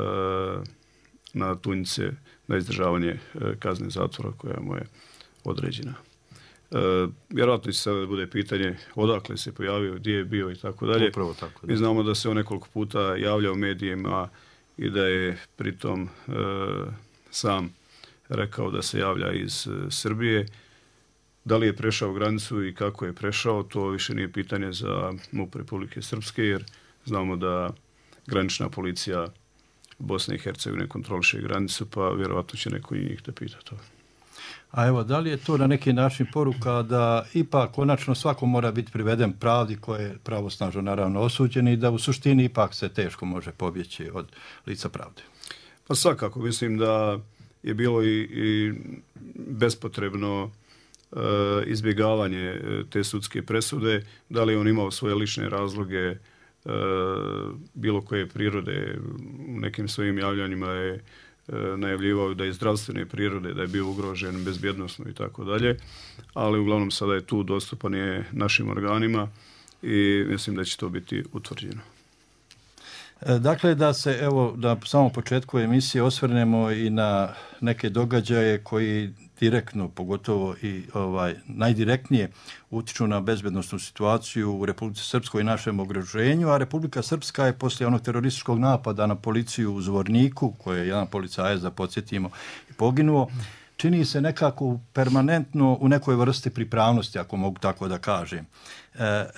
na Tunjice na izdržavanje e, kazne zatvora koja mu je određena. E, vjerojatno će sada bude pitanje odakle se pojavio, gdje je bio i tako dalje. Upravo tako, da. Mi znamo da se on nekoliko puta javlja u medijima i da je pritom e, sam rekao da se javlja iz e, Srbije. Da li je prešao granicu i kako je prešao, to više nije pitanje za MUP Republike Srpske, jer znamo da granična policija Bosne i Hercegovine kontroliše granicu, pa vjerojatno će neko i njih da pita to. A evo, da li je to na neki način poruka da ipak konačno svako mora biti priveden pravdi koje je pravosnažno naravno osuđen i da u suštini ipak se teško može pobjeći od lica pravde? Pa svakako, mislim da je bilo i, i bespotrebno e, izbjegavanje te sudske presude, da li on imao svoje lične razloge e, bilo koje prirode, u nekim svojim javljanjima je e, najavljivao da je zdravstvene prirode, da je bio ugrožen bezbjednosno i tako dalje, ali uglavnom sada je tu dostupan je našim organima i mislim da će to biti utvrđeno. Dakle, da se, evo, na samom početku emisije osvrnemo i na neke događaje koji direktno, pogotovo i ovaj najdirektnije utiču na bezbednosnu situaciju u Republici Srpskoj i našem okruženju, a Republika Srpska je poslije onog terorističkog napada na policiju u Zvorniku, koje je jedan policajac, da podsjetimo, i poginuo, čini se nekako permanentno u nekoj vrsti pripravnosti, ako mogu tako da kažem. E, e,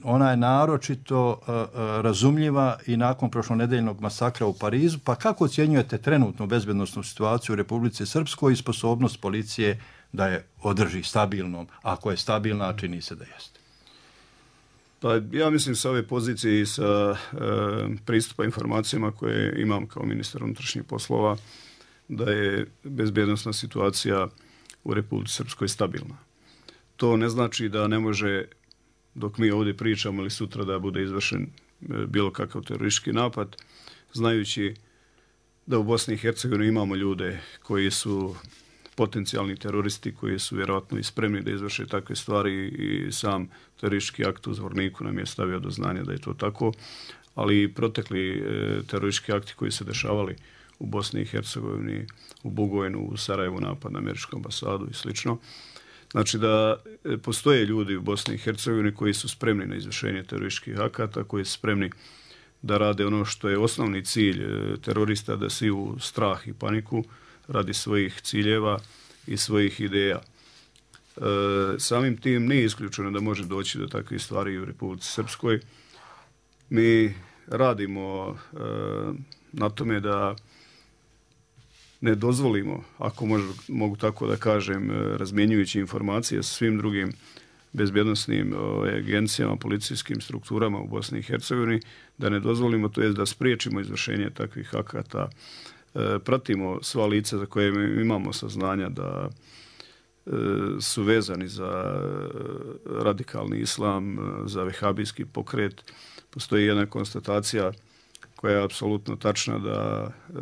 ona je naročito e, e, razumljiva i nakon prošlonedeljnog masakra u Parizu, pa kako ocjenjujete trenutnu bezbednosnu situaciju u Republici Srpskoj i sposobnost policije da je održi stabilnom, ako je stabilna, čini se da jeste? Pa ja mislim sa ove pozicije i sa e, pristupa informacijama koje imam kao ministar unutrašnjih poslova, da je bezbjednosna situacija u Republici Srpskoj stabilna. To ne znači da ne može, dok mi ovdje pričamo ili sutra, da bude izvršen bilo kakav teroristički napad, znajući da u Bosni i Hercegovini imamo ljude koji su potencijalni teroristi, koji su vjerojatno i spremni da izvrše takve stvari i sam teroristički akt u Zvorniku nam je stavio do znanja da je to tako, ali i protekli teroristički akti koji se dešavali u Bosni i Hercegovini, u Bugojnu, u Sarajevu, napad na američku ambasadu i slično. Znači da postoje ljudi u Bosni i Hercegovini koji su spremni na izvršenje terorističkih akata, koji su spremni da rade ono što je osnovni cilj terorista, da siju strah i paniku radi svojih ciljeva i svojih ideja. E, samim tim nije isključeno da može doći do takvih stvari u Republici Srpskoj. Mi radimo e, na tome da ne dozvolimo, ako možu, mogu tako da kažem, razmjenjujući informacije sa svim drugim bezbjednosnim agencijama, policijskim strukturama u Bosni i Hercegovini, da ne dozvolimo, to jest da spriječimo izvršenje takvih akata. E, pratimo sva lica za koje imamo saznanja da e, su vezani za radikalni islam, za vehabijski pokret. Postoji jedna konstatacija koja je apsolutno tačna da e,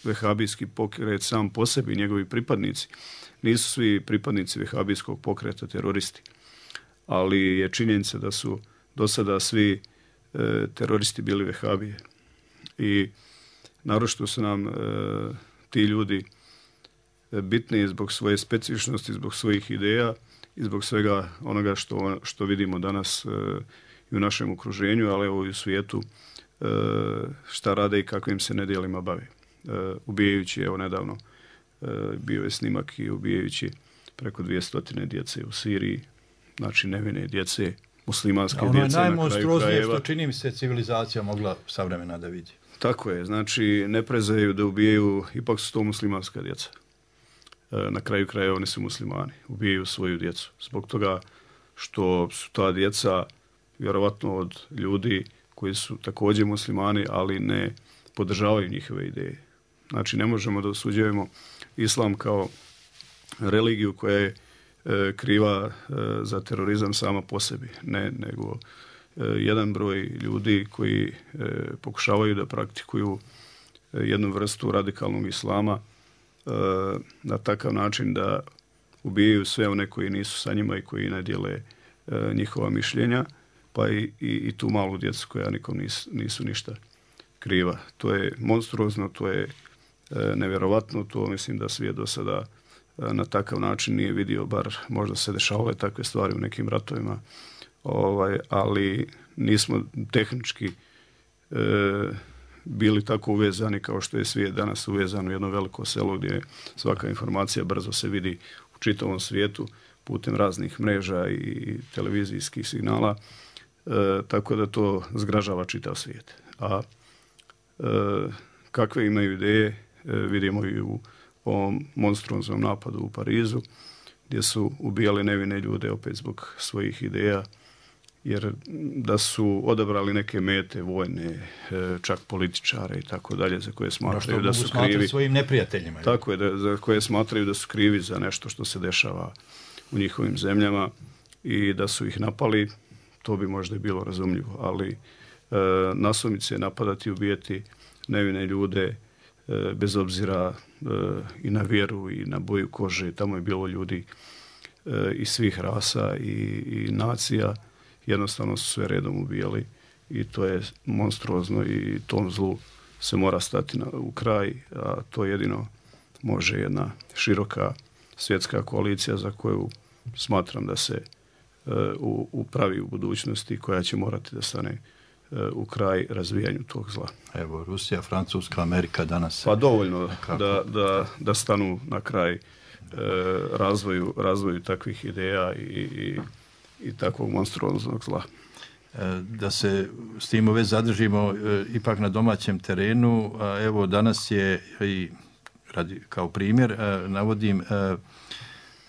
vehabijski pokret sam po sebi, njegovi pripadnici, nisu svi pripadnici vehabijskog pokreta teroristi, ali je činjenica da su do sada svi e, teroristi bili vehabije. I naročito su nam e, ti ljudi bitni zbog svoje specifičnosti, zbog svojih ideja i zbog svega onoga što, što vidimo danas e, i u našem okruženju, ali evo i u svijetu, e, šta rade i kakvim se nedjelima bave. Uh, ubijajući, evo nedavno uh, bio je snimak i ubijajući preko dvjesto djece u Siriji, znači nevine djece, muslimanske djece na kraju krajeva. Ono je najmonstruoznije što čini mi se civilizacija mogla savremena da vidi. Tako je, znači ne prezaju da ubijaju, ipak su to muslimanska djeca. Uh, na kraju krajeva oni su muslimani, ubijaju svoju djecu. Zbog toga što su ta djeca vjerovatno od ljudi koji su također muslimani, ali ne podržavaju njihove ideje. Znači, ne možemo da osuđujemo islam kao religiju koja je e, kriva e, za terorizam sama po sebi, ne, nego e, jedan broj ljudi koji e, pokušavaju da praktikuju e, jednu vrstu radikalnog islama e, na takav način da ubijaju sve one koji nisu sa njima i koji ne dijele e, njihova mišljenja, pa i, i, i tu malu djecu koja nikom nisu, nisu ništa kriva. To je monstruozno, to je e, nevjerovatno, to mislim da svijet do sada e, na takav način nije vidio, bar možda se dešavale takve stvari u nekim ratovima, ovaj, ali nismo tehnički e, bili tako uvezani kao što je svijet danas uvezan u jedno veliko selo gdje svaka informacija brzo se vidi u čitavom svijetu putem raznih mreža i televizijskih signala, e, tako da to zgražava čitav svijet. A E, kakve imaju ideje, e, vidimo i u ovom monstruoznom napadu u Parizu, gdje su ubijali nevine ljude opet zbog svojih ideja jer da su odabrali neke mete vojne, čak političare i tako dalje, za koje smatraju da su krivi svojim neprijateljima. Tako je, da, za koje smatraju da su krivi za nešto što se dešava u njihovim zemljama i da su ih napali, to bi možda i bilo razumljivo, ali e, nasumice napadati i ubijeti nevine ljude e, bez obzira e, i na vjeru i na boju kože, tamo je bilo ljudi e, iz svih rasa i, i nacija, jednostavno su sve redom ubijali i to je monstruozno i tom zlu se mora stati na, u kraj, a to jedino može jedna široka svjetska koalicija za koju smatram da se uh, u, upravi u budućnosti, koja će morati da stane uh, u kraj razvijanju tog zla. Evo, Rusija, Francuska, Amerika danas... Pa dovoljno da, da, da stanu na kraj uh, razvoju, razvoju takvih ideja i, i, i takvog monstruoznog zla. Da se s tim uveć zadržimo ipak na domaćem terenu. Evo, danas je i radi, kao primjer navodim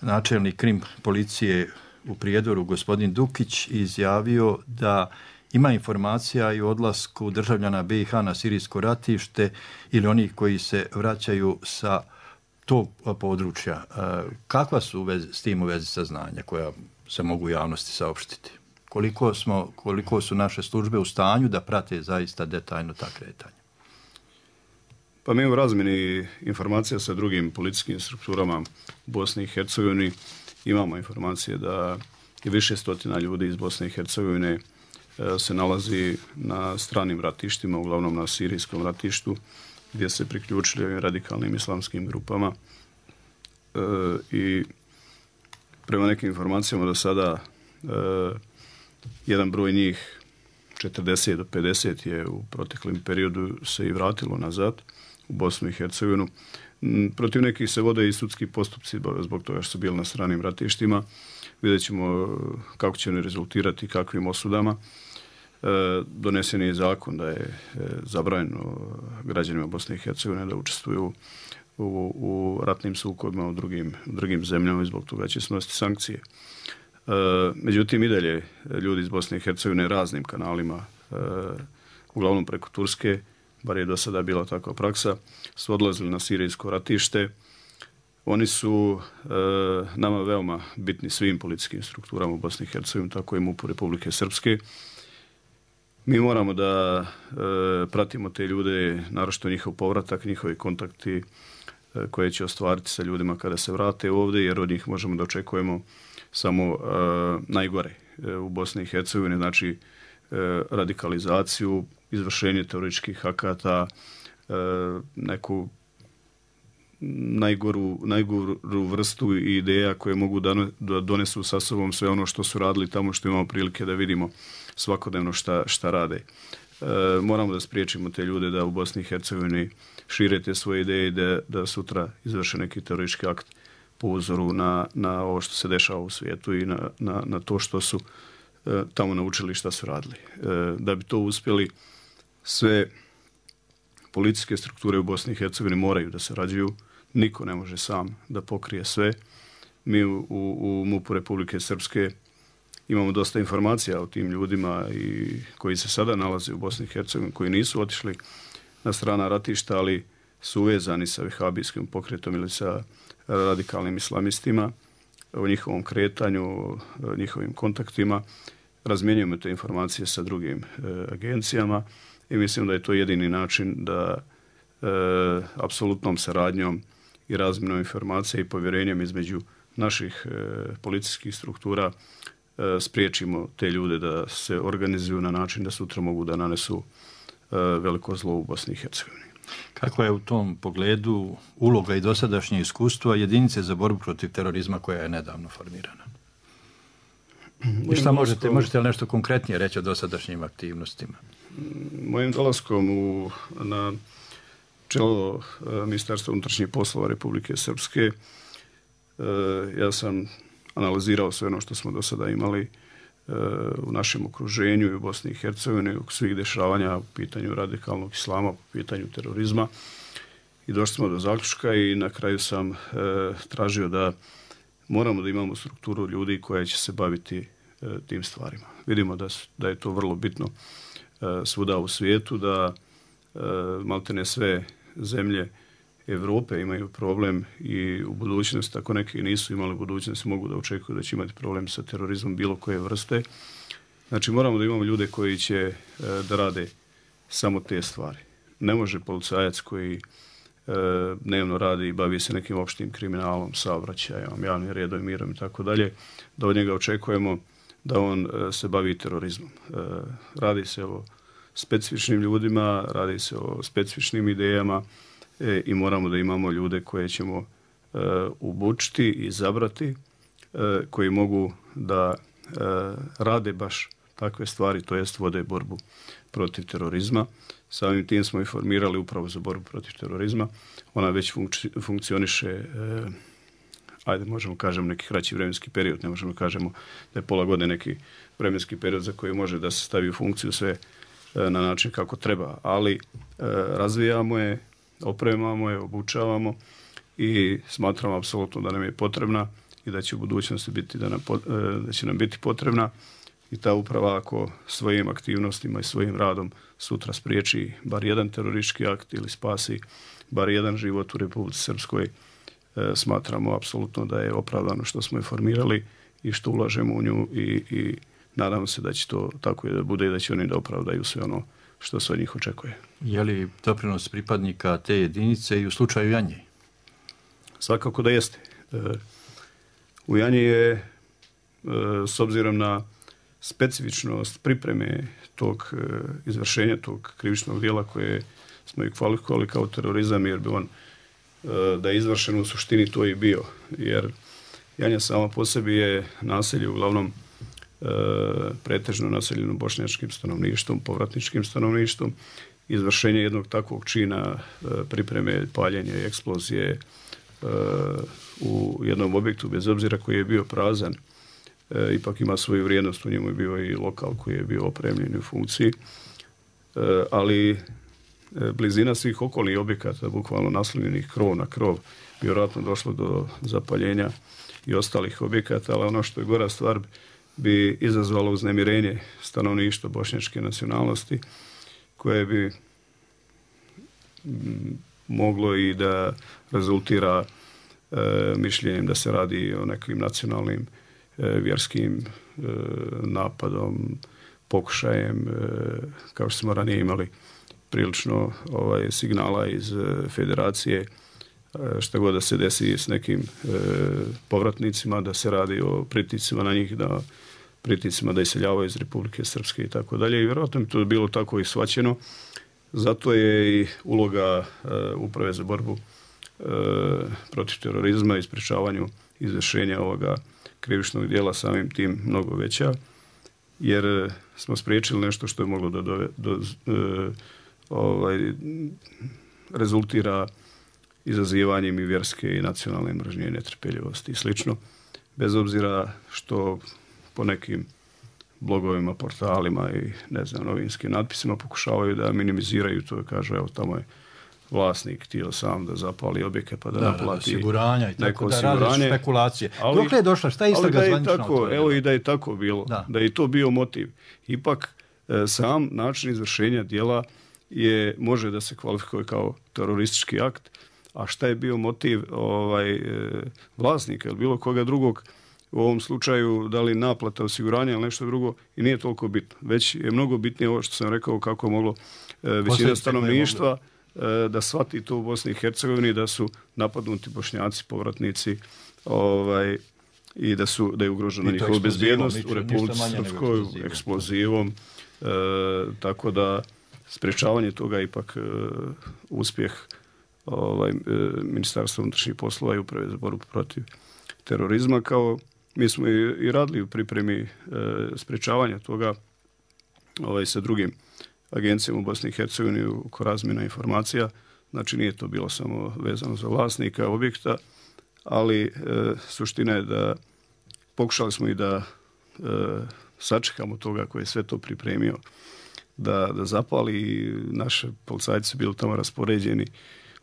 načelnik krim policije u Prijedoru, gospodin Dukić, izjavio da ima informacija i o odlasku državljana B i H na sirijsko ratište ili onih koji se vraćaju sa tog područja. Kakva su vez, s tim u vezi saznanja koja se mogu javnosti saopštiti? Koliko, smo, koliko su naše službe u stanju da prate zaista detaljno ta kretanja? Pa mi u razmjeni informacija sa drugim policijskim strukturama u Bosni i Hercegovini imamo informacije da je više stotina ljudi iz Bosne i Hercegovine se nalazi na stranim ratištima, uglavnom na sirijskom ratištu, gdje se priključili ovim radikalnim islamskim grupama. E, I prema nekim informacijama do sada e, jedan broj njih, četrdeset do pedeset, je u proteklim periodu se i vratilo nazad u Bosnu i Hercegovinu. Protiv nekih se vode i sudski postupci zbog toga što su bili na stranim ratištima. Vidjet ćemo kako će oni rezultirati, kakvim osudama. E, donesen je zakon da je e, zabranjeno građanima Bosne i Hercegovine da učestvuju u, u ratnim sukobima u drugim, drugim zemljama i zbog toga će snositi sankcije. E, međutim, i dalje ljudi iz Bosne i Hercegovine raznim kanalima, e, uglavnom preko Turske, bar je do sada bila takva praksa, su odlazili na sirijsko ratište. Oni su e, nama veoma bitni svim policijskim strukturama u Bosni i Hercegovini, tako i MUP-u Republike Srpske. Mi moramo da e, pratimo te ljude, naročito njihov povratak, njihovi kontakti e, koje će ostvariti sa ljudima kada se vrate ovdje, jer od njih možemo da očekujemo samo e, najgore e, u Bosni i Hercegovini, znači e, radikalizaciju, izvršenje terorističkih akata, e, neku najgoru, najgoru vrstu i ideja koje mogu da donesu sa sobom sve ono što su radili tamo, što imamo prilike da vidimo svakodnevno šta, šta rade. E, moramo da spriječimo te ljude da u Bosni i Hercegovini šire te svoje ideje i da, da sutra izvrše neki teroristički akt po uzoru na, na ovo što se dešava u svijetu i na, na, na to što su e, tamo naučili, šta su radili. E, da bi to uspjeli, sve policijske strukture u Bosni i Hercegovini moraju da sarađuju. Niko ne može sam da pokrije sve. Mi u, u, u MUP-u Republike Srpske imamo dosta informacija o tim ljudima i koji se sada nalaze u Bosni i Hercegovini, koji nisu otišli na strana ratišta, ali su uvezani sa vehabijskim pokretom ili sa radikalnim islamistima, o njihovom kretanju, o njihovim kontaktima. Razmjenjujemo te informacije sa drugim e, agencijama i mislim da je to jedini način da e, apsolutnom saradnjom i razmjenom informacija i povjerenjem između naših e, policijskih struktura e, spriječimo te ljude da se organizuju na način da sutra mogu da nanesu e, veliko zlo u Bosni i Hercegovini. Kakva je u tom pogledu uloga i dosadašnje iskustva jedinice za borbu protiv terorizma koja je nedavno formirana? I šta možete, možete li nešto konkretnije reći o dosadašnjim aktivnostima? Mojim dolaskom u, na čelo Ministarstva unutrašnjih poslova Republike Srpske ja sam analizirao sve ono što smo do sada imali u našem okruženju i u Bosni i Hercegovini, u svih dešavanja u pitanju radikalnog islama, po pitanju terorizma. I došli smo do zaključka i na kraju sam tražio da moramo da imamo strukturu ljudi koja će se baviti tim stvarima. Vidimo da, da je to vrlo bitno svuda u svijetu, da maltene sve zemlje Evrope imaju problem i u budućnosti, ako neki nisu imali budućnosti, mogu da očekuju da će imati problem sa terorizmom bilo koje vrste. Znači moramo da imamo ljude koji će da rade samo te stvari. Ne može policajac koji dnevno radi i bavi se nekim opštim kriminalom, saobraćajem, javnim redom, mirom i tako dalje, da od njega očekujemo da on se bavi terorizmom. Radi se o specifičnim ljudima, radi se o specifičnim idejama i moramo da imamo ljude koje ćemo obučiti i izabrati, koji mogu da rade baš takve stvari, to jest vode borbu protiv terorizma. Samim tim smo i formirali upravo za borbu protiv terorizma. Ona već funkci, funkcioniše, e, ajde možemo kažemo neki kraći vremenski period, ne možemo kažemo da je pola godine neki vremenski period za koji može da se stavi u funkciju sve e, na način kako treba, ali e, razvijamo je, opremamo je, obučavamo i smatramo apsolutno da nam je potrebna i da će u budućnosti biti da nam, e, da će nam biti potrebna. I ta uprava ako svojim aktivnostima i svojim radom sutra spriječi bar jedan teroristički akt ili spasi bar jedan život u Republici Srpskoj, e, smatramo apsolutno da je opravdano što smo je formirali i što ulažemo u nju i, i nadamo se da će to tako i da bude i da će oni da opravdaju sve ono što se od njih očekuje. Je li doprinos pripadnika te jedinice i u slučaju Janje? Svakako da jeste. E, u Janji je, e, s obzirom na specifičnost pripreme tog e, izvršenja tog krivičnog dijela koje smo i kvalifikovali kao terorizam, jer bi on e, da je izvršen u suštini to i bio. Jer Janja sama po sebi je naselje uglavnom e, pretežno naseljeno bošnjačkim stanovništvom, povratničkim stanovništvom. Izvršenje jednog takvog čina e, pripreme, paljenja i eksplozije e, u jednom objektu, bez obzira koji je bio prazan, E, ipak ima svoju vrijednost, u njemu je bio i lokal koji je bio opremljen u funkciji, e, ali e, blizina svih okolnih objekata, bukvalno naslonjenih krov na krov, vjerojatno došlo do zapaljenja i ostalih objekata, ali ono što je gora stvar bi izazvalo uznemirenje stanovništva bošnjačke nacionalnosti, koje bi m, moglo i da rezultira e, mišljenjem da se radi o nekim nacionalnim vjerskim e, napadom, pokušajem, e, kao što smo ranije imali prilično ovaj, signala iz e, federacije, e, šta god da se desi s nekim e, povratnicima, da se radi o pritiscima na njih, da pritiscima da iseljavaju iz Republike Srpske i tako dalje. I vjerojatno bi to bilo tako i shvaćeno. Zato je i uloga e, Uprave za borbu e, protiv terorizma i sprečavanju izvršenja ovoga krivičnog dijela samim tim mnogo veća, jer smo spriječili nešto što je moglo da do, do, e, ovaj, rezultira izazivanjem i vjerske i nacionalne mržnje i netrpeljivosti i slično, bez obzira što po nekim blogovima, portalima i ne znam, novinskim natpisima pokušavaju da minimiziraju to, kažu evo tamo je vlasnik htio sam da zapali objeke pa da, da naplati osiguranja i tako da rade špekulacije. Ali, dokle je došla? Šta je istraga zvanična? Tako, evo i da je tako bilo. Da, da je to bio motiv. Ipak e, sam način izvršenja dijela je, može da se kvalifikuje kao teroristički akt, a šta je bio motiv ovaj, e, vlasnika ili bilo koga drugog, u ovom slučaju da li naplata osiguranja ili nešto drugo, i nije toliko bitno. Već je mnogo bitnije ovo što sam rekao, kako je moglo e, većina stanovništva da shvati to u Bosni i Hercegovini, da su napadnuti Bošnjaci, povratnici, ovaj, i da su da je ugrožena njihova bezbjednost u Republici Srpskoj eksplozivom. E, tako da sprečavanje toga ipak e, uspjeh ovaj, e, Ministarstva unutrašnjih poslova i Uprave za borbu protiv terorizma. Kao mi smo i, i radili u pripremi e, sprečavanja toga ovaj, sa drugim agencijama u Bosni i Hercegovini oko razmjena informacija. Znači nije to bilo samo vezano za vlasnika objekta, ali e, suština je da pokušali smo i da e, sačekamo toga koji je sve to pripremio da, da zapali. Naše policajci su bili tamo raspoređeni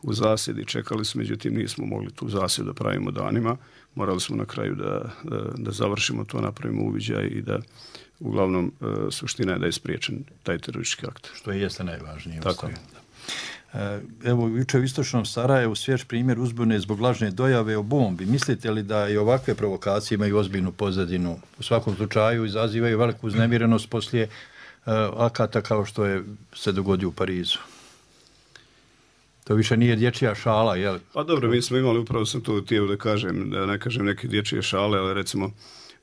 u zasjedi, čekali smo, međutim nismo mogli tu zasjedu da pravimo danima. Morali smo na kraju da, da, da završimo to, napravimo uviđaj i da uglavnom suština je da je spriječen taj teroristički akt. Što je jeste najvažnije. Tako je. Evo, juče u istočnom Sarajevu svjež primjer uzbune zbog lažne dojave o bombi. Mislite li da i ovakve provokacije imaju ozbiljnu pozadinu? U svakom slučaju izazivaju veliku uznemirenost poslije uh, akata kao što je se dogodio u Parizu. To više nije dječja šala, jel? Pa dobro, mi smo imali, upravo sam to htio da kažem, da ne kažem neke dječje šale, ali recimo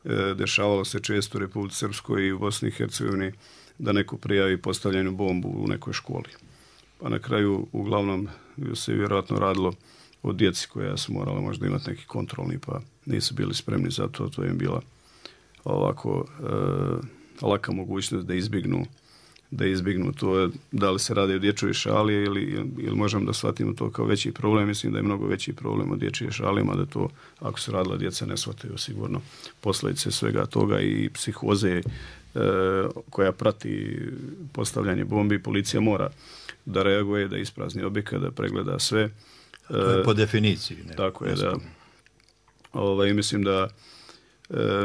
e, dešavalo se često u Republici Srpskoj i u Bosni i Hercegovini da neko prijavi postavljenu bombu u nekoj školi. Pa na kraju, uglavnom, se vjerojatno radilo o djeci koja su morala možda imati neki kontrolni, pa nisu bili spremni za to. To im bila ovako e, laka mogućnost da izbjegnu da izbjegnu to, da li se radi o dječjoj šali ili, ili možemo da shvatimo to kao veći problem. Mislim da je mnogo veći problem od dječje šalima, da to, ako se radila djeca, ne shvataju sigurno posljedice svega toga i psihoze e, koja prati postavljanje bombi. Policija mora da reaguje, da isprazni objekat, da pregleda sve. To je po definiciji. Ne? Tako je, da. Ovaj, mislim da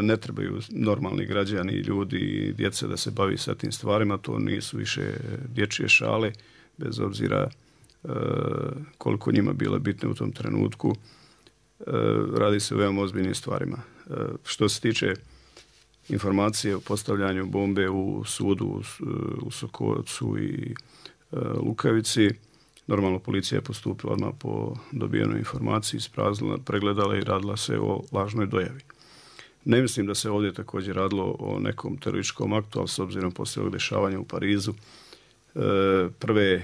ne trebaju normalni građani, ljudi i djece da se bavi sa tim stvarima. To nisu više dječje šale, bez obzira e, koliko njima bila bitne u tom trenutku. E, radi se o veoma ozbiljnim stvarima. E, što se tiče informacije o postavljanju bombe u sudu u, u Sokovcu i e, Lukavici, normalno policija je postupila odmah po dobijenoj informaciji, ispraznila, pregledala i radila se o lažnoj dojavi. Ne mislim da se ovdje također radilo o nekom terorističkom aktu, ali s obzirom poslije ovog dešavanja u Parizu, prve,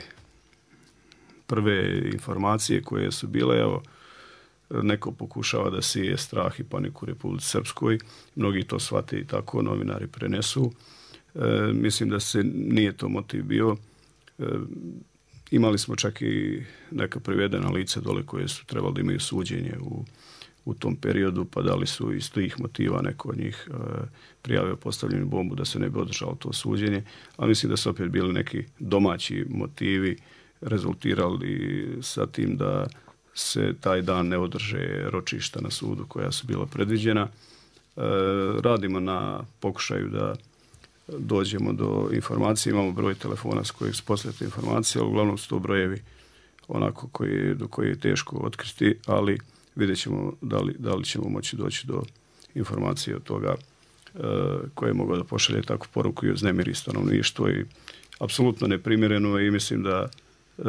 prve informacije koje su bile, evo, neko pokušava da sije strah i paniku u Republici Srpskoj, mnogi to shvate i tako, novinari prenesu. Mislim da se nije to motiv bio. Imali smo čak i neka privedena lica dole koje su trebali da imaju suđenje u u tom periodu, pa da li su iz tih motiva neko od njih e, prijavio postavljenu bombu da se ne bi održalo to suđenje, ali mislim da su opet bili neki domaći motivi rezultirali sa tim da se taj dan ne održe ročišta na sudu koja su bila predviđena. E, radimo na pokušaju da dođemo do informacije, imamo broj telefona s kojeg su posljete informacije, ali uglavnom su to brojevi onako koji, do koji je teško otkriti, ali vidjet ćemo da li, da li ćemo moći doći do informacije od toga e, koje je mogao da pošalje takvu poruku i uznemiri stanovništvo i apsolutno neprimjereno i mislim da e,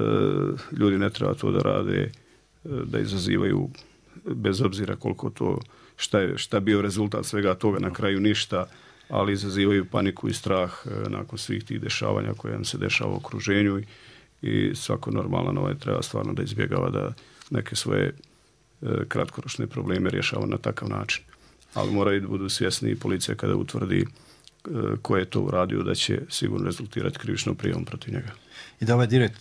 ljudi ne treba to da rade, e, da izazivaju bez obzira koliko to, šta je šta bio rezultat svega toga, na kraju ništa, ali izazivaju paniku i strah e, nakon svih tih dešavanja koje nam se dešava u okruženju i, i svako normalan ovaj treba stvarno da izbjegava da neke svoje kratkoročne probleme rješava na takav način. Ali moraju da budu svjesni i policija kada utvrdi ko je to uradio, da će sigurno rezultirati krivičnom prijavom protiv njega. I da ovaj direkt,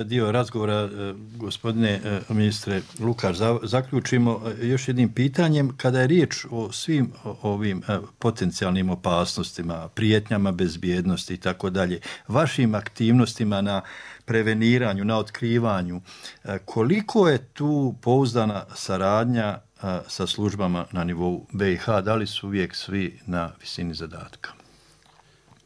dio razgovora, gospodine ministre Lukač, zaključimo još jednim pitanjem. Kada je riječ o svim ovim potencijalnim opasnostima, prijetnjama bezbjednosti i tako dalje, vašim aktivnostima na preveniranju, na otkrivanju, koliko je tu pouzdana saradnja sa službama na nivou B i H? Da li su uvijek svi na visini zadatka?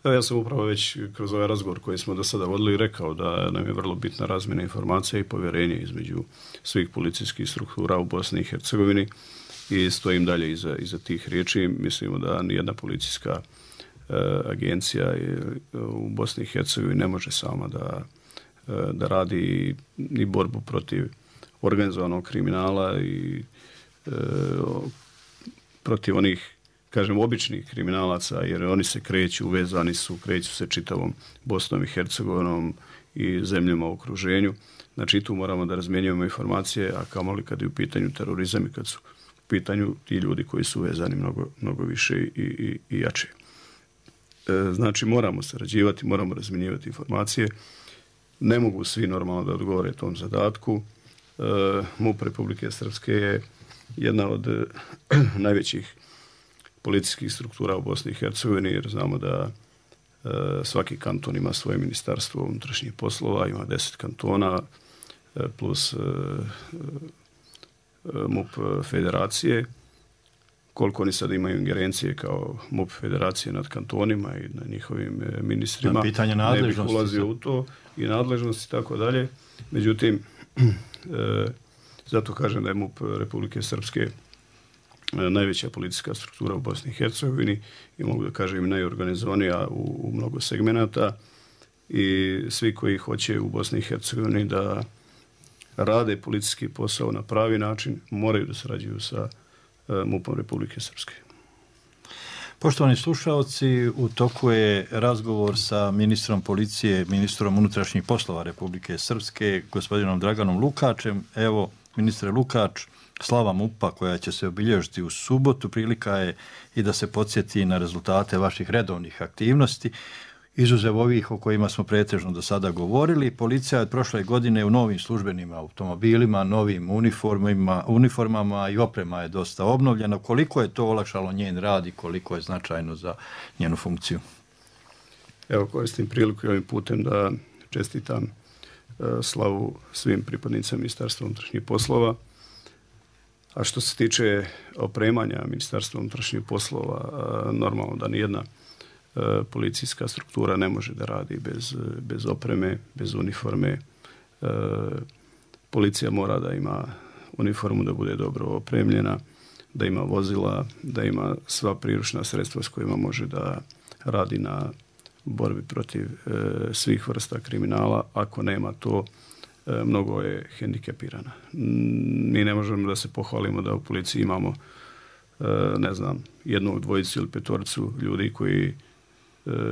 Ja sam upravo već kroz ovaj razgovor koji smo do sada vodili rekao da nam je vrlo bitna razmjena informacija i povjerenje između svih policijskih struktura u Bosni i Hercegovini i stojim dalje iza, iza tih riječi. Mislimo da nijedna policijska e, agencija u Bosni i Hercegovini ne može sama da, e, da radi ni borbu protiv organizovanog kriminala i e, protiv onih, kažem, običnih kriminalaca, jer oni se kreću, uvezani su, kreću se čitavom Bosnom i Hercegovinom i zemljama u okruženju. Znači, tu moramo da razmjenjujemo informacije, a kamoli kad je u pitanju terorizam i kad su u pitanju ti ljudi koji su uvezani mnogo, mnogo više i, i, i jače. E, znači, moramo sarađivati, moramo razmjenjivati informacije. Ne mogu svi normalno da odgovore tom zadatku. E, MUP Republike Srpske je jedna od e, najvećih policijskih struktura u Bosni i Hercegovini, jer znamo da e, svaki kanton ima svoje ministarstvo unutrašnjih poslova, ima deset kantona, plus MUP federacije. Koliko oni sad imaju ingerencije kao MUP federacije nad kantonima i na njihovim ministrima. Na pitanje nadležnosti. Ne bih ulazio u to i nadležnosti i tako dalje. Međutim, zato kažem da je MUP Republike Srpske najveća policijska struktura u Bosni i Hercegovini i mogu da kažem najorganizovanija u, u mnogo segmenata i svi koji hoće u Bosni i Hercegovini da rade policijski posao na pravi način moraju da sarađuju sa MUP-om Republike Srpske. Poštovani slušalci, u toku je razgovor sa ministrom policije, ministrom unutrašnjih poslova Republike Srpske, gospodinom Draganom Lukačem. Evo, ministre Lukač, slava MUP-a koja će se obilježiti u subotu, prilika je i da se podsjeti na rezultate vaših redovnih aktivnosti. Izuzev ovih o kojima smo pretežno do sada govorili, policija je od prošle godine u novim službenim automobilima, novim uniformama, uniformama i oprema je dosta obnovljena. Koliko je to olakšalo njen rad i koliko je značajno za njenu funkciju? Evo, koristim priliku ovim putem da čestitam uh, slavu svim pripadnicama Ministarstva unutrašnjih poslova. A što se tiče opremanja Ministarstva unutrašnjih poslova, uh, normalno da nijedna policijska struktura ne može da radi bez, bez opreme, bez uniforme. E, policija mora da ima uniformu, da bude dobro opremljena, da ima vozila, da ima sva priručna sredstva s kojima može da radi na borbi protiv e, svih vrsta kriminala. Ako nema to, e, mnogo je hendikepirana. Mi ne možemo da se pohvalimo da u policiji imamo e, ne znam, jednog, dvojicu ili petoricu ljudi koji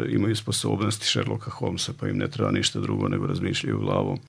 imaju sposobnosti Sherlocka Holmesa, pa im ne treba ništa drugo nego razmišljaju glavom.